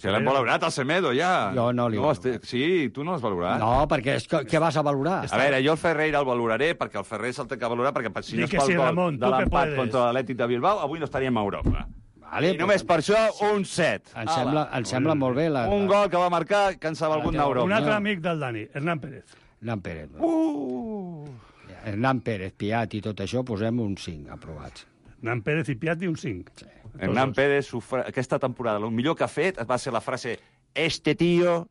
Ja l'hem valorat, el Semedo, ja. Jo no li Sí, tu no l'has valorat. No, perquè què vas a valorar? A veure, jo el Ferreira el valoraré, perquè el Ferrer se'l té que valorar, perquè si no és pel gol de l'empat contra l'Atlètic de Bilbao, avui no estaríem a Europa. Vale, I només per això, un 7. Em sembla molt bé. Un gol que va marcar que ens ha valgut d'Europa. Un altre amic del Dani, Hernán Pérez. Hernán Pérez. Hernán Pérez, Piat i tot això, posem un 5 aprovats. Hernán Pérez i Piatti un 5. Sí. Hernán Pérez, aquesta temporada, el millor que ha fet va ser la frase «Este tío»,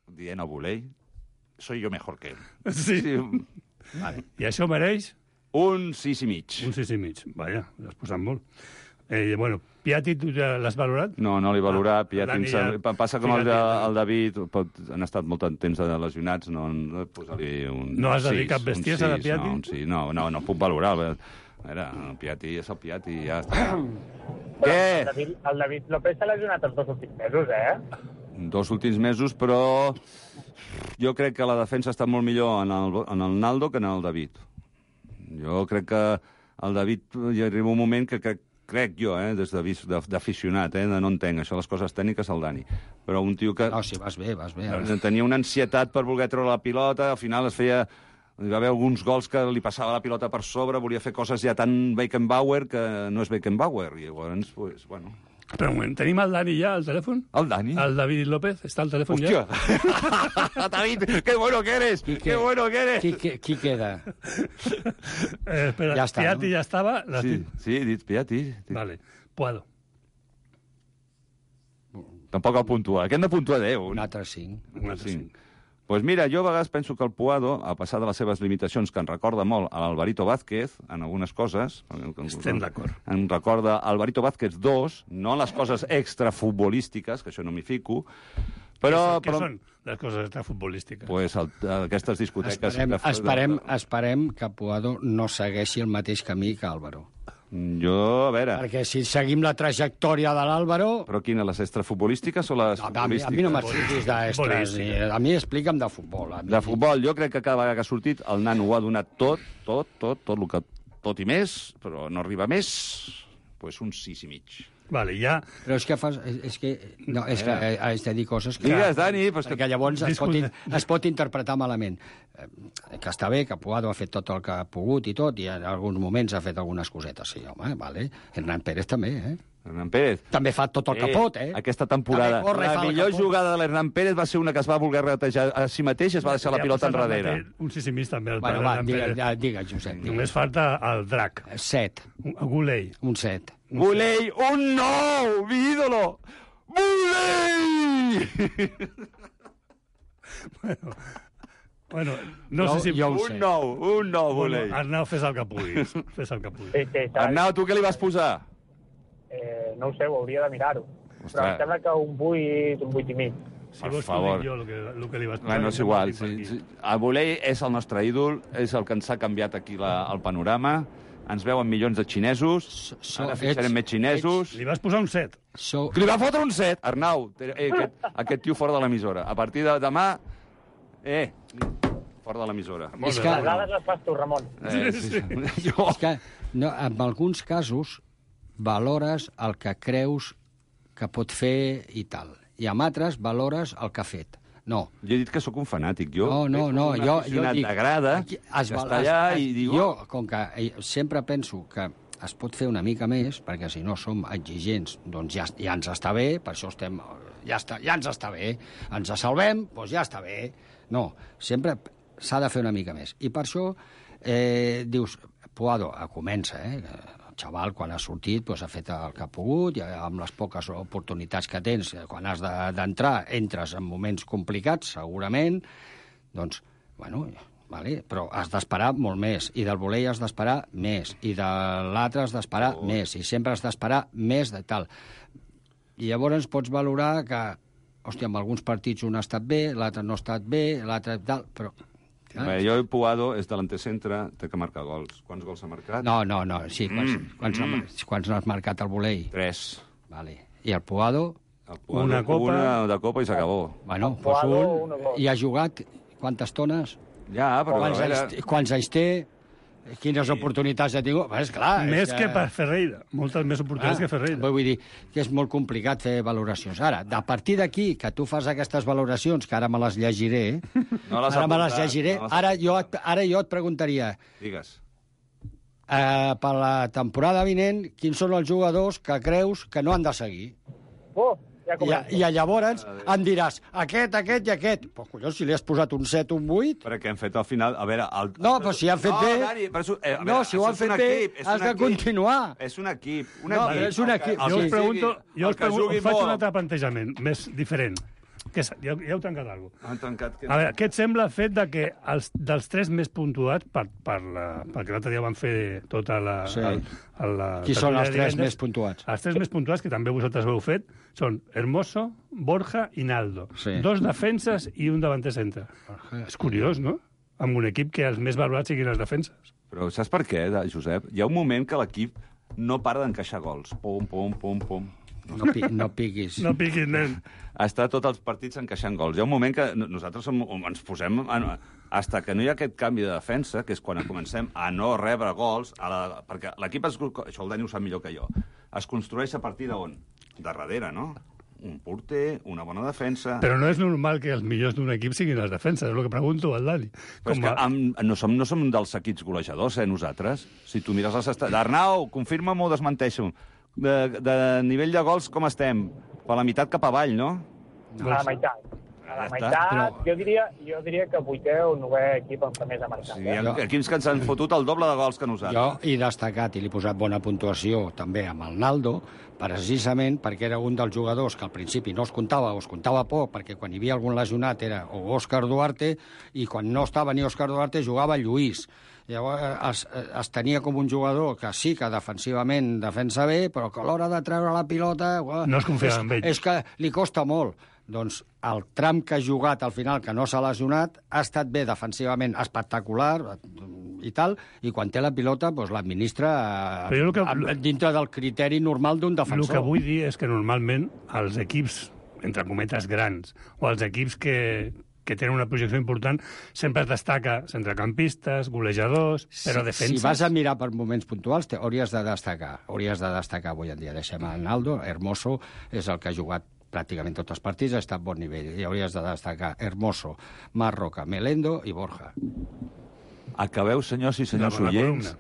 dient a Buley, «soy yo mejor que él». Sí. Vale. I això mereix? Un 6 i mig. Un 6 i mig. Vaja, l'has posat molt. Bueno, Piatti, tu ja l'has valorat? No l'he valorat. Dani ja... Passa com el David, han estat molt temps de lesionats, no posar-li un... No has de dir cap bestiesa de Piatti? No puc valorar. El Piatti és el Piatti, ja està. Què? El David López s'ha lesionat els 2 últims mesos, 2 últims mesos, però jo crec que la defensa està molt millor en el Naldo que en el David. Jo crec que el David hi arriba un moment que crec jo, des d'aficionat, no entenc això, les coses tècniques, el Dani. Però un tio que... No, sí, vas bé. Tenia una ansietat per voler treure la pilota, al final es feia... Hi va haver alguns gols que li passava la pilota per sobre, volia fer coses ja tan Beckenbauer que no és Beckenbauer. I llavors, pues, bueno... Però un moment, tenim el Dani ja al telèfon? El Dani? El David López està al telèfon ja? Hòstia! David, qué bueno que eres! Qué bueno que eres! Qui queda? Espera, ja està, Piatti ja estava? Sí, he dit Piatti. Vale, Puado. Tampoc el puntua. Aquest no puntua 10. Un altre 5. Un altre 5. Pues mira, jo a vegades penso que el Puado, a passar de les seves limitacions, que en recorda molt a l'Alvarito Vázquez, en algunes coses... Estem d'acord. En recorda Alvarito Vázquez 2, no les coses extrafutbolístiques, que això no m'hi fico, però... Què són les coses extrafutbolístiques? Pues aquestes discoteques... Esperem que Puado no segueixi el mateix camí que Álvaro. Jo, a veure... Perquè si seguim la trajectòria de l'Álvaro... Però quines, les extrafutbolístiques o les futbolístiques? A mi no m'expliquis d'extres. A mi explica'm de futbol. De futbol, jo crec que cada vegada que ha sortit el nano ho ha donat tot i més, però no arriba més, pues un 6 i mig. Vale, ja... Però és que has de dir coses que... Digues, Dani... Perquè llavors es pot interpretar malament. Que està bé, que Puado ha fet tot el que ha pogut i tot, i en alguns moments ha fet algunes cosetes. Sí, home, vale. Hernán Pérez també, Hernán Pérez. També fa tot el que pot, Aquesta temporada. La millor jugada de l'Hernán Pérez va ser una que es va voler retejar a si mateix i es va deixar la pilota enrere. Un 6 i mig també. Bueno, va, digues, Josep. Només falta el Drac. 7. Gulei. Un 7. Gulei, un 9, mi ídolo! Gulei! Bueno, no sé si... Un 9, Gulei. Arnau, fes el que puguis. Arnau, tu què li vas posar? No ho sé, ho hauria de mirar-ho. Però em sembla que un 8 i mig. Si vols, t'ho dic jo, el que li vas posar. No és igual. El Gulei és el nostre ídol, és el que ens ha canviat aquí el panorama. Ens veuen milions de xinesos, ara fixarem més xinesos... Li vas posar un 7. Li va fotre un 7! Arnau, aquest tio fora de l'emissora. A partir de demà... fora de l'emissora. És que... Les dades les fas tu, Ramon. És que en alguns casos valores el que creus que pot fer i tal. I en altres valores el que ha fet. No. Jo he dit que sóc un fanàtic. Jo no, jo dic... T'agrada, està allà i diu... Jo, com que sempre penso que es pot fer una mica més, perquè si no som exigents, doncs ja ens està bé, per això estem... Ja ens està bé. Ens salvem, doncs ja està bé. No, sempre s'ha de fer una mica més. I per això dius, Puado comença, el xaval, quan ha sortit, doncs, ha fet el que ha pogut, i amb les poques oportunitats que tens, quan has d'entrar, entres en moments complicats, segurament, doncs, bueno, vale, però has d'esperar molt més, i del volei has d'esperar més, i de l'altre has d'esperar més, i sempre has d'esperar més de tal. I llavors pots valorar que, hòstia, en alguns partits un ha estat bé, l'altre no ha estat bé, l'altre tal, però... Jo, Puado, és delanter-centre, té que marcar gols. Quants gols ha marcat? No, sí. Quants n'has marcat el volei? 3. Vale. I el Puado? Una copa. Una de copa i s'acabó. Bueno, i ha jugat quantes tones? Ja, però... Quants anys té? Quines oportunitats ha tingut? És clar, més que per Ferreira. Moltes més oportunitats que Ferreira. Vull dir que és molt complicat fer valoracions. Ara, a partir d'aquí, que tu fas aquestes valoracions, que ara me les llegiré, ara jo et preguntaria... Digues. Per la temporada vinent, quins són els jugadors que creus que no han de seguir? I llavors em diràs aquest i aquest. Però, collons, si li has posat un 7 o un 8... Perquè hem fet al final... A veure... No, però si han fet bé... No, si ho han fet bé, has de continuar. És un equip. És un equip. Jo us pregunto, faig un altre plantejament, més diferent. Ja heu trencat alguna cosa. Han trencat... A veure, què et sembla el fet de que dels 3 més puntuats, perquè l'altre dia van fer tota la... Sí. Qui són els 3 més puntuats? Els 3 més puntuats, que també vosaltres ho heu fet, són Hermoso, Borja i Naldo. Sí. 2 defenses i un davanter centre. És curiós, no? Amb un equip que els més valorats siguin les defenses. Però saps per què, Josep? Hi ha un moment que l'equip no para d'encaixar gols. Pum, pum, pum, pum. No piquis. No piquis, nen. Està tots els partits encaixant gols. Hi ha un moment que nosaltres ens posem... Hasta que no hi ha aquest canvi de defensa, que és quan comencem a no rebre gols, perquè l'equip, això el Dani ho sap millor que jo, es construeix a partir d'on? De darrere, no? Un porter, una bona defensa... Però no és normal que els millors d'un equip siguin les defenses, és el que pregunto al Dani. Però és que no som dels equips golejadors, nosaltres. Si tu mires les estadístiques... Arnau, confirma-m'ho o desmenteixo. De nivell de gols, com estem? Per la meitat cap avall, no? A la meitat. A la meitat, jo diria que 8è o 9è equip en què més ha marcat. Sí, hi ha equips que ens han fotut el doble de gols que nosaltres. Jo he destacat i li he posat bona puntuació també amb el Naldo, precisament perquè era un dels jugadors que al principi no es comptava o es comptava poc, perquè quan hi havia algun lesionat era o Òscar Duarte, i quan no estava ni Òscar Duarte jugava Lluís. Llavors es tenia com un jugador que sí que defensivament defensa bé, però que a l'hora de treure la pilota... No es confiava en ell. És que li costa molt. Doncs el tram que ha jugat al final, que no s'ha lesionat, ha estat bé defensivament, espectacular i tal, i quan té la pilota doncs l'administra dintre del criteri normal d'un defensor. El que vull dir és que normalment els equips, entre cometes, grans, o els equips que tenen una projecció important, sempre es destaca centrecampistes, golejadors, però defenses... Si vas a mirar per moments puntuals, hauries de destacar avui en dia. Deixem a Naldo, Hermoso és el que ha jugat pràcticament tots els partits, ha estat a bon nivell. I hauries de destacar Hermoso, Marroca, Melendo i Borja. Acabeu, senyors i senyors oients.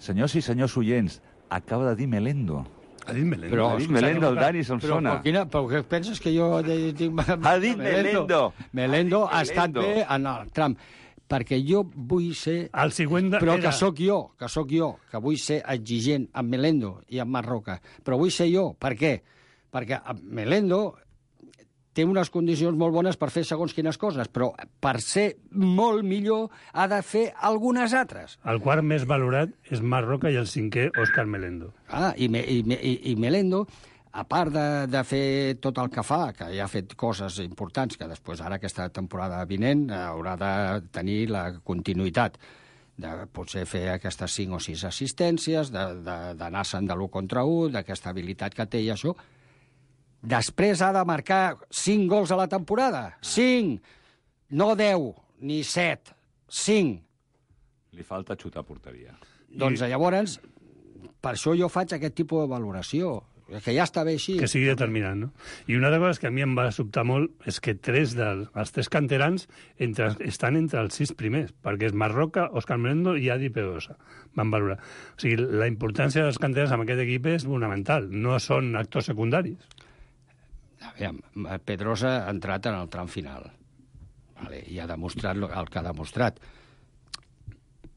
Senyors i senyors oients, acaba de dir Melendo. Ha dit Melendo. Ha dit Melendo, el Dani se'm sona. Però què penses que jo... Ha dit Melendo. Melendo ha estat bé en el tram. Perquè jo vull ser... El següent però que sóc jo, que vull ser exigent amb Melendo i amb Marroca. Però vull ser jo. Per què? Perquè Melendo té unes condicions molt bones per fer segons quines coses, però per ser molt millor ha de fer algunes altres. El quart més valorat és Marroca i el 5è Òscar Melendo. I Melendo, a part de fer tot el que fa, que ja ha fet coses importants, que després ara aquesta temporada vinent haurà de tenir la continuïtat, de potser fer aquestes 5 o 6 assistències, d'anar-se'n de l'1 contra 1, d'aquesta habilitat que té i això. Després ha de marcar 5 gols a la temporada. 5! No 10, ni 7. 5. Li falta xutar porteria. Doncs llavors, per això jo faig aquest tipus de valoració. Que ja està bé així. Que sigui determinant, no? I una de les coses que a mi em va sobtar molt és que els 3 canterans estan entre els 6 primers, perquè és Marroca, Òscar Melendo i Adi Pedrosa. Van valorar. O sigui, la importància dels canterans en aquest equip és fonamental. No són actors secundaris. Pedrosa ha entrat en el tram final. I ha demostrat el que ha demostrat.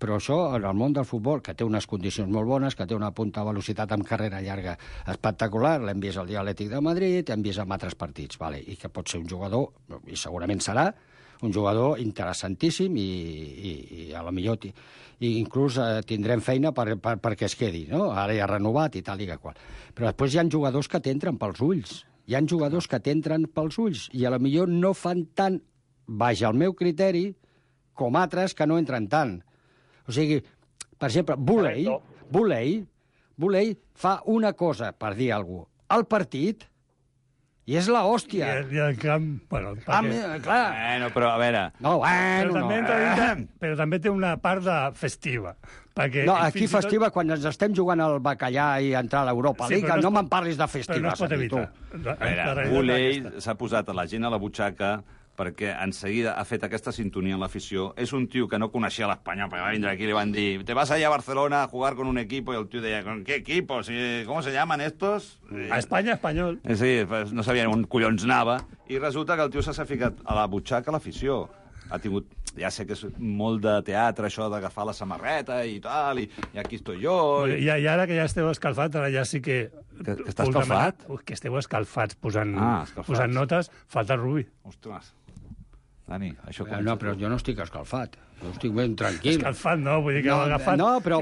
Però això, en el món del futbol, que té unes condicions molt bones, que té una punta de velocitat amb carrera llarga espectacular, l'hem vist al dia Atlètic de Madrid, hem vist en altres partits, i que pot ser un jugador, i segurament serà, un jugador interessantíssim i a lo millor inclús tindrem feina perquè es quedi, no? Ara ja ha renovat i tal i que qual. Però després hi ha jugadors que t'entren pels ulls. Hi ha jugadors que t'entren pels ulls i a lo millor no fan tant, baix al meu criteri, com altres que no entren tant. O sigui, per exemple, Buley fa una cosa, per dir alguna cosa, al partit, i és la hòstia. I el camp... Bueno, clar. Però a veure... Però també té una part de festiva. No, aquí festiva quan ens estem jugant al bacallà i entrar a l'Europa League. No me'n parlis de festives. Però no es pot evitar. A veure, Buley s'ha posat a la gent a la butxaca perquè en seguida ha fet aquesta sintonia en l'afició. És un tio que no coneixia l'Espanyol, perquè va vindre aquí i li van dir te vas allá a Barcelona a jugar con un equipo, i el tio deia, ¿con qué equipo? ¿Cómo se llaman estos? A Espanya, espanyol. Sí, no sabien on collons anava, i resulta que el tio s'ha ficat a la butxaca a l'afició. ha tingut... Ja sé que és molt de teatre, això d'agafar la samarreta i tal, i aquí estoy jo... I ara que ja esteu escalfats, ara ja sí que... Que està escalfat? Que esteu escalfats posant notes, falta el Rubi. Ostres. Dani, això com... No, però jo no estic escalfat. Jo estic ben tranquil. Escalfat no, vull dir que heu agafat... No, però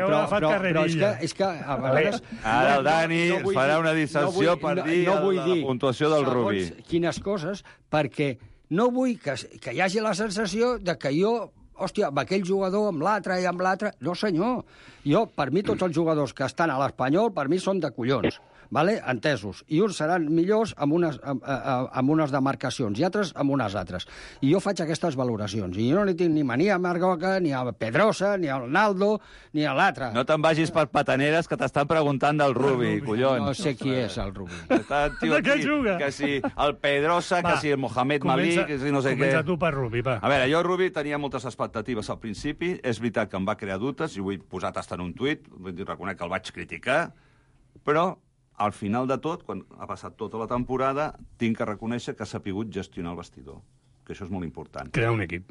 és que a vegades... Ara el Dani farà una dissecció per dir la puntuació del Rubi. Quines coses, perquè no vull que hi hagi la sensació de que jo, hòstia, amb aquell jugador, amb l'altre i amb l'altre... No, senyor. Jo, per mi, tots els jugadors que estan a l'Espanyol, per mi són de collons. Vale? Entesos. I uns seran millors amb unes demarcacions i altres amb unes altres. I jo faig aquestes valoracions. I jo no li tinc ni mania a Margoca, ni a Pedrosa, ni a Naldo, ni a l'altre. No te'n vagis per pataneres que t'estan preguntant del Rubi, collons. No sé qui és el Rubi. De què juga? Que si el Pedrosa, que si el Mohamed Malik, que si no sé què. Comença tu per Rubi, va. A veure, jo Rubi tenia moltes expectatives al principi. És veritat que em va crear dubtes, i ho he posat hasta en un tuit, reconec que el vaig criticar, però al final de tot, quan ha passat tota la temporada, tinc que reconèixer que s'ha sapigut gestionar el vestidor, que això és molt important. Crear un equip.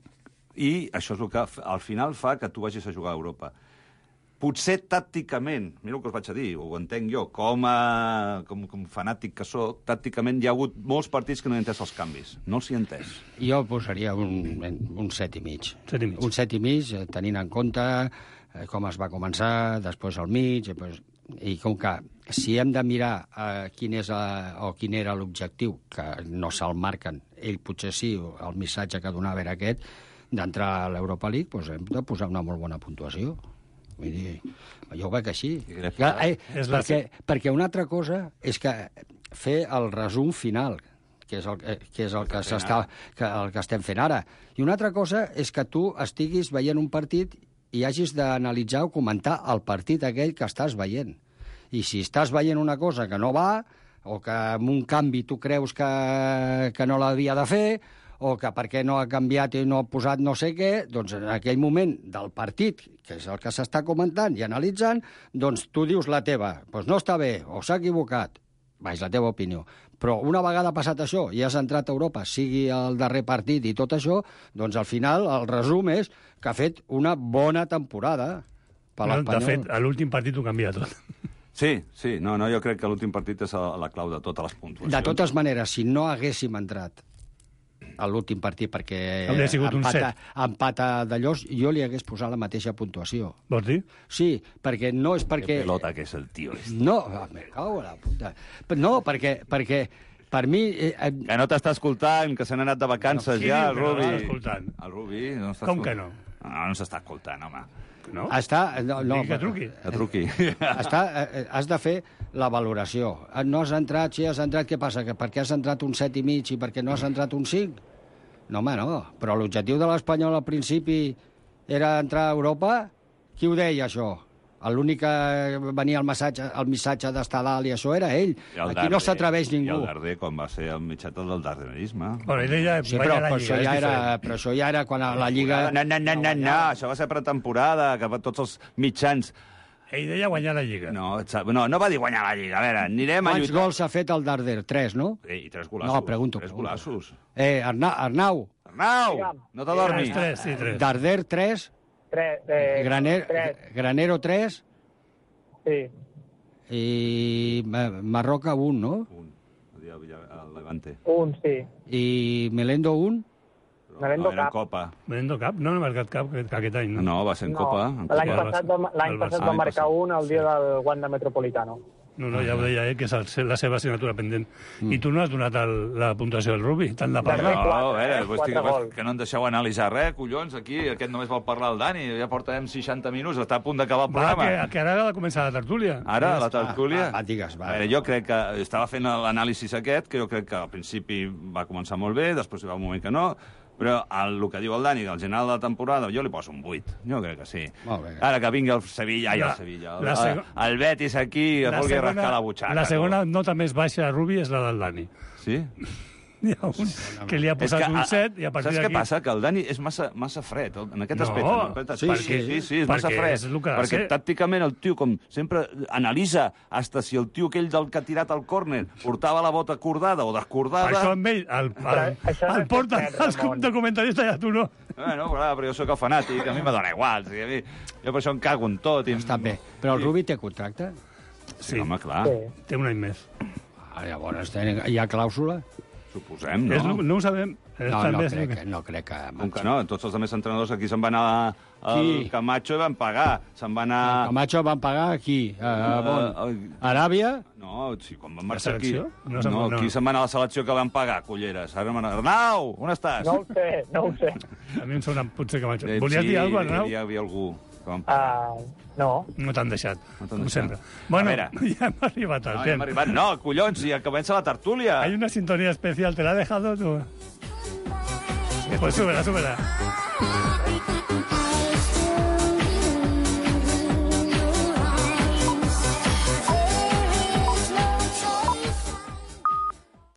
I això és el que al final fa que tu vagis a jugar a Europa. Potser tàcticament, mira el que us vaig a dir, ho entenc jo, com fanàtic que sóc, tàcticament hi ha hagut molts partits que no he entès els canvis. No els he entès. Jo posaria un 7,5. 7,5. Un 7,5, tenint en compte com es va començar, després al mig, i com que si hem de mirar quin era l'objectiu, que no se'l marquen, ell potser sí, el missatge que donava era aquest, d'entrar a l'Europa League, doncs hem de posar una molt bona puntuació. Vull dir, jo ho veig així. Perquè una altra cosa és que fer el resum final, que és el que estem fent ara. I una altra cosa és que tu estiguis veient un partit i hagis d'analitzar o comentar el partit aquell que estàs veient. I si estàs veient una cosa que no va, o que amb un canvi tu creus que no l'havia de fer, o que perquè no ha canviat i no ha posat no sé què, doncs en aquell moment del partit, que és el que s'està comentant i analitzant, doncs tu dius la teva. Doncs no està bé, o s'ha equivocat. És la teva opinió. Però una vegada passat això i has entrat a Europa, sigui el darrer partit i tot això, doncs al final el resum és que ha fet una bona temporada per l'Espanyol. De fet, a l'últim partit ho canvia tot. Sí, no, jo crec que l'últim partit és la clau de totes les puntuacions. De totes maneres, si no haguéssim entrat a l'últim partit perquè hauria sigut un 7. Empat d'allò, jo li hagués posat la mateixa puntuació. Vols dir? Sí, perquè no és perquè... Que pelota que és el tio. No, me cago a la puta. No, perquè per mi... Que no t'està escoltant, que se n'ha anat de vacances ja, el Rubi. No escoltant. El Rubi no està Com que no? No s'està escoltant, home. No? Que truqui. Que truqui. Has de fer la valoració. No has entrat, si has entrat, què passa? Que per què has entrat un 7,5 i per què no has entrat un 5? No, home, no. Però l'objectiu de l'Espanyol al principi era entrar a Europa? Qui ho deia, això? L'únic que venia el missatge d'estar dalt i això era ell. Aquí no s'atreveix ningú. I el Darder, quan va ser el mitjat del darderisme. Bueno, ell ja però això ja era quan a la Lliga... No, això va ser pretemporada, que tots els mitjans... Ell deia guanyar la Lliga. No va dir guanyar la Lliga. A veure, anirem a lluitar... Quants gols ha fet el Darder? 3, no? I 3 golaços. No, pregunto. 3 golaços. Arnau, no t'adormis. 3. Darder, 3... Granero 3. Sí. I Marroca 1, no? 1. El Levante. 1, sí. I Melendo 1? Melendo Cap. Copa. Melendo Cap? No ha marcat cap aquest any, no? No, va ser en Copa. L'any passat va marcar un el dia del Wanda Metropolitano. No, ja ho deia ell, que és la seva assignatura pendent. I tu no has donat la puntuació del Rubi, tant de parlar. No, a veure, que no em deixeu analitzar res, collons, aquí, aquest només vol parlar el Dani, ja portem 60 minuts, està a punt d'acabar el programa. Que ara ha de començar la tertúlia. Ara, la tertúlia? Digues, va. A veure, jo crec que estava fent l'anàlisi aquest, que jo crec que al principi va començar molt bé, després hi va un moment que no, però el que diu el Dani, que al general de la temporada, jo li poso un 8. Jo crec que sí. Ara que vingui el Sevilla, el Betis aquí, es vulgui rascar la butxaca. La segona nota més baixa a Rubi és la del Dani. Sí? N'hi ha un que li ha posat un 7 i a partir d'aquí... Saps què passa? Que el Dani és massa fred, en aquest aspecte. Sí, és massa fred. Perquè tàcticament el tio, com sempre, analitza hasta si el tio aquell del que ha tirat el córner portava la bota acordada o descordada... Això amb ell, el porta de comentarista i a tu no. Bueno, però jo sóc el fanàtic, a mi me dona igual. Jo per això em cago en tot. Està bé. Però el Rubi té contracte? Sí, home, clar. Té un any més. Llavors, hi ha clàusula? Suposem, no? No ho sabem. No crec que... Com que no? Tots els altres entrenadors aquí se'n van anar al Camacho i van pagar. Se'n van anar... El Camacho van pagar aquí? Aràbia? No, sí, quan van marxar aquí... No, aquí se'n van anar a la selecció que van pagar, culleres. Arnau, on estàs? No ho sé. A mi em sona potser Camacho. Volies dir alguna cosa, Arnau? Hi havia algú... No. No t'han deixat, com sempre. Bueno, ja hem arribat al temps. No, collons, ja comença la tertúlia. Hay una sintonía especial, ¿te la ha dejado tú? Pues súbela.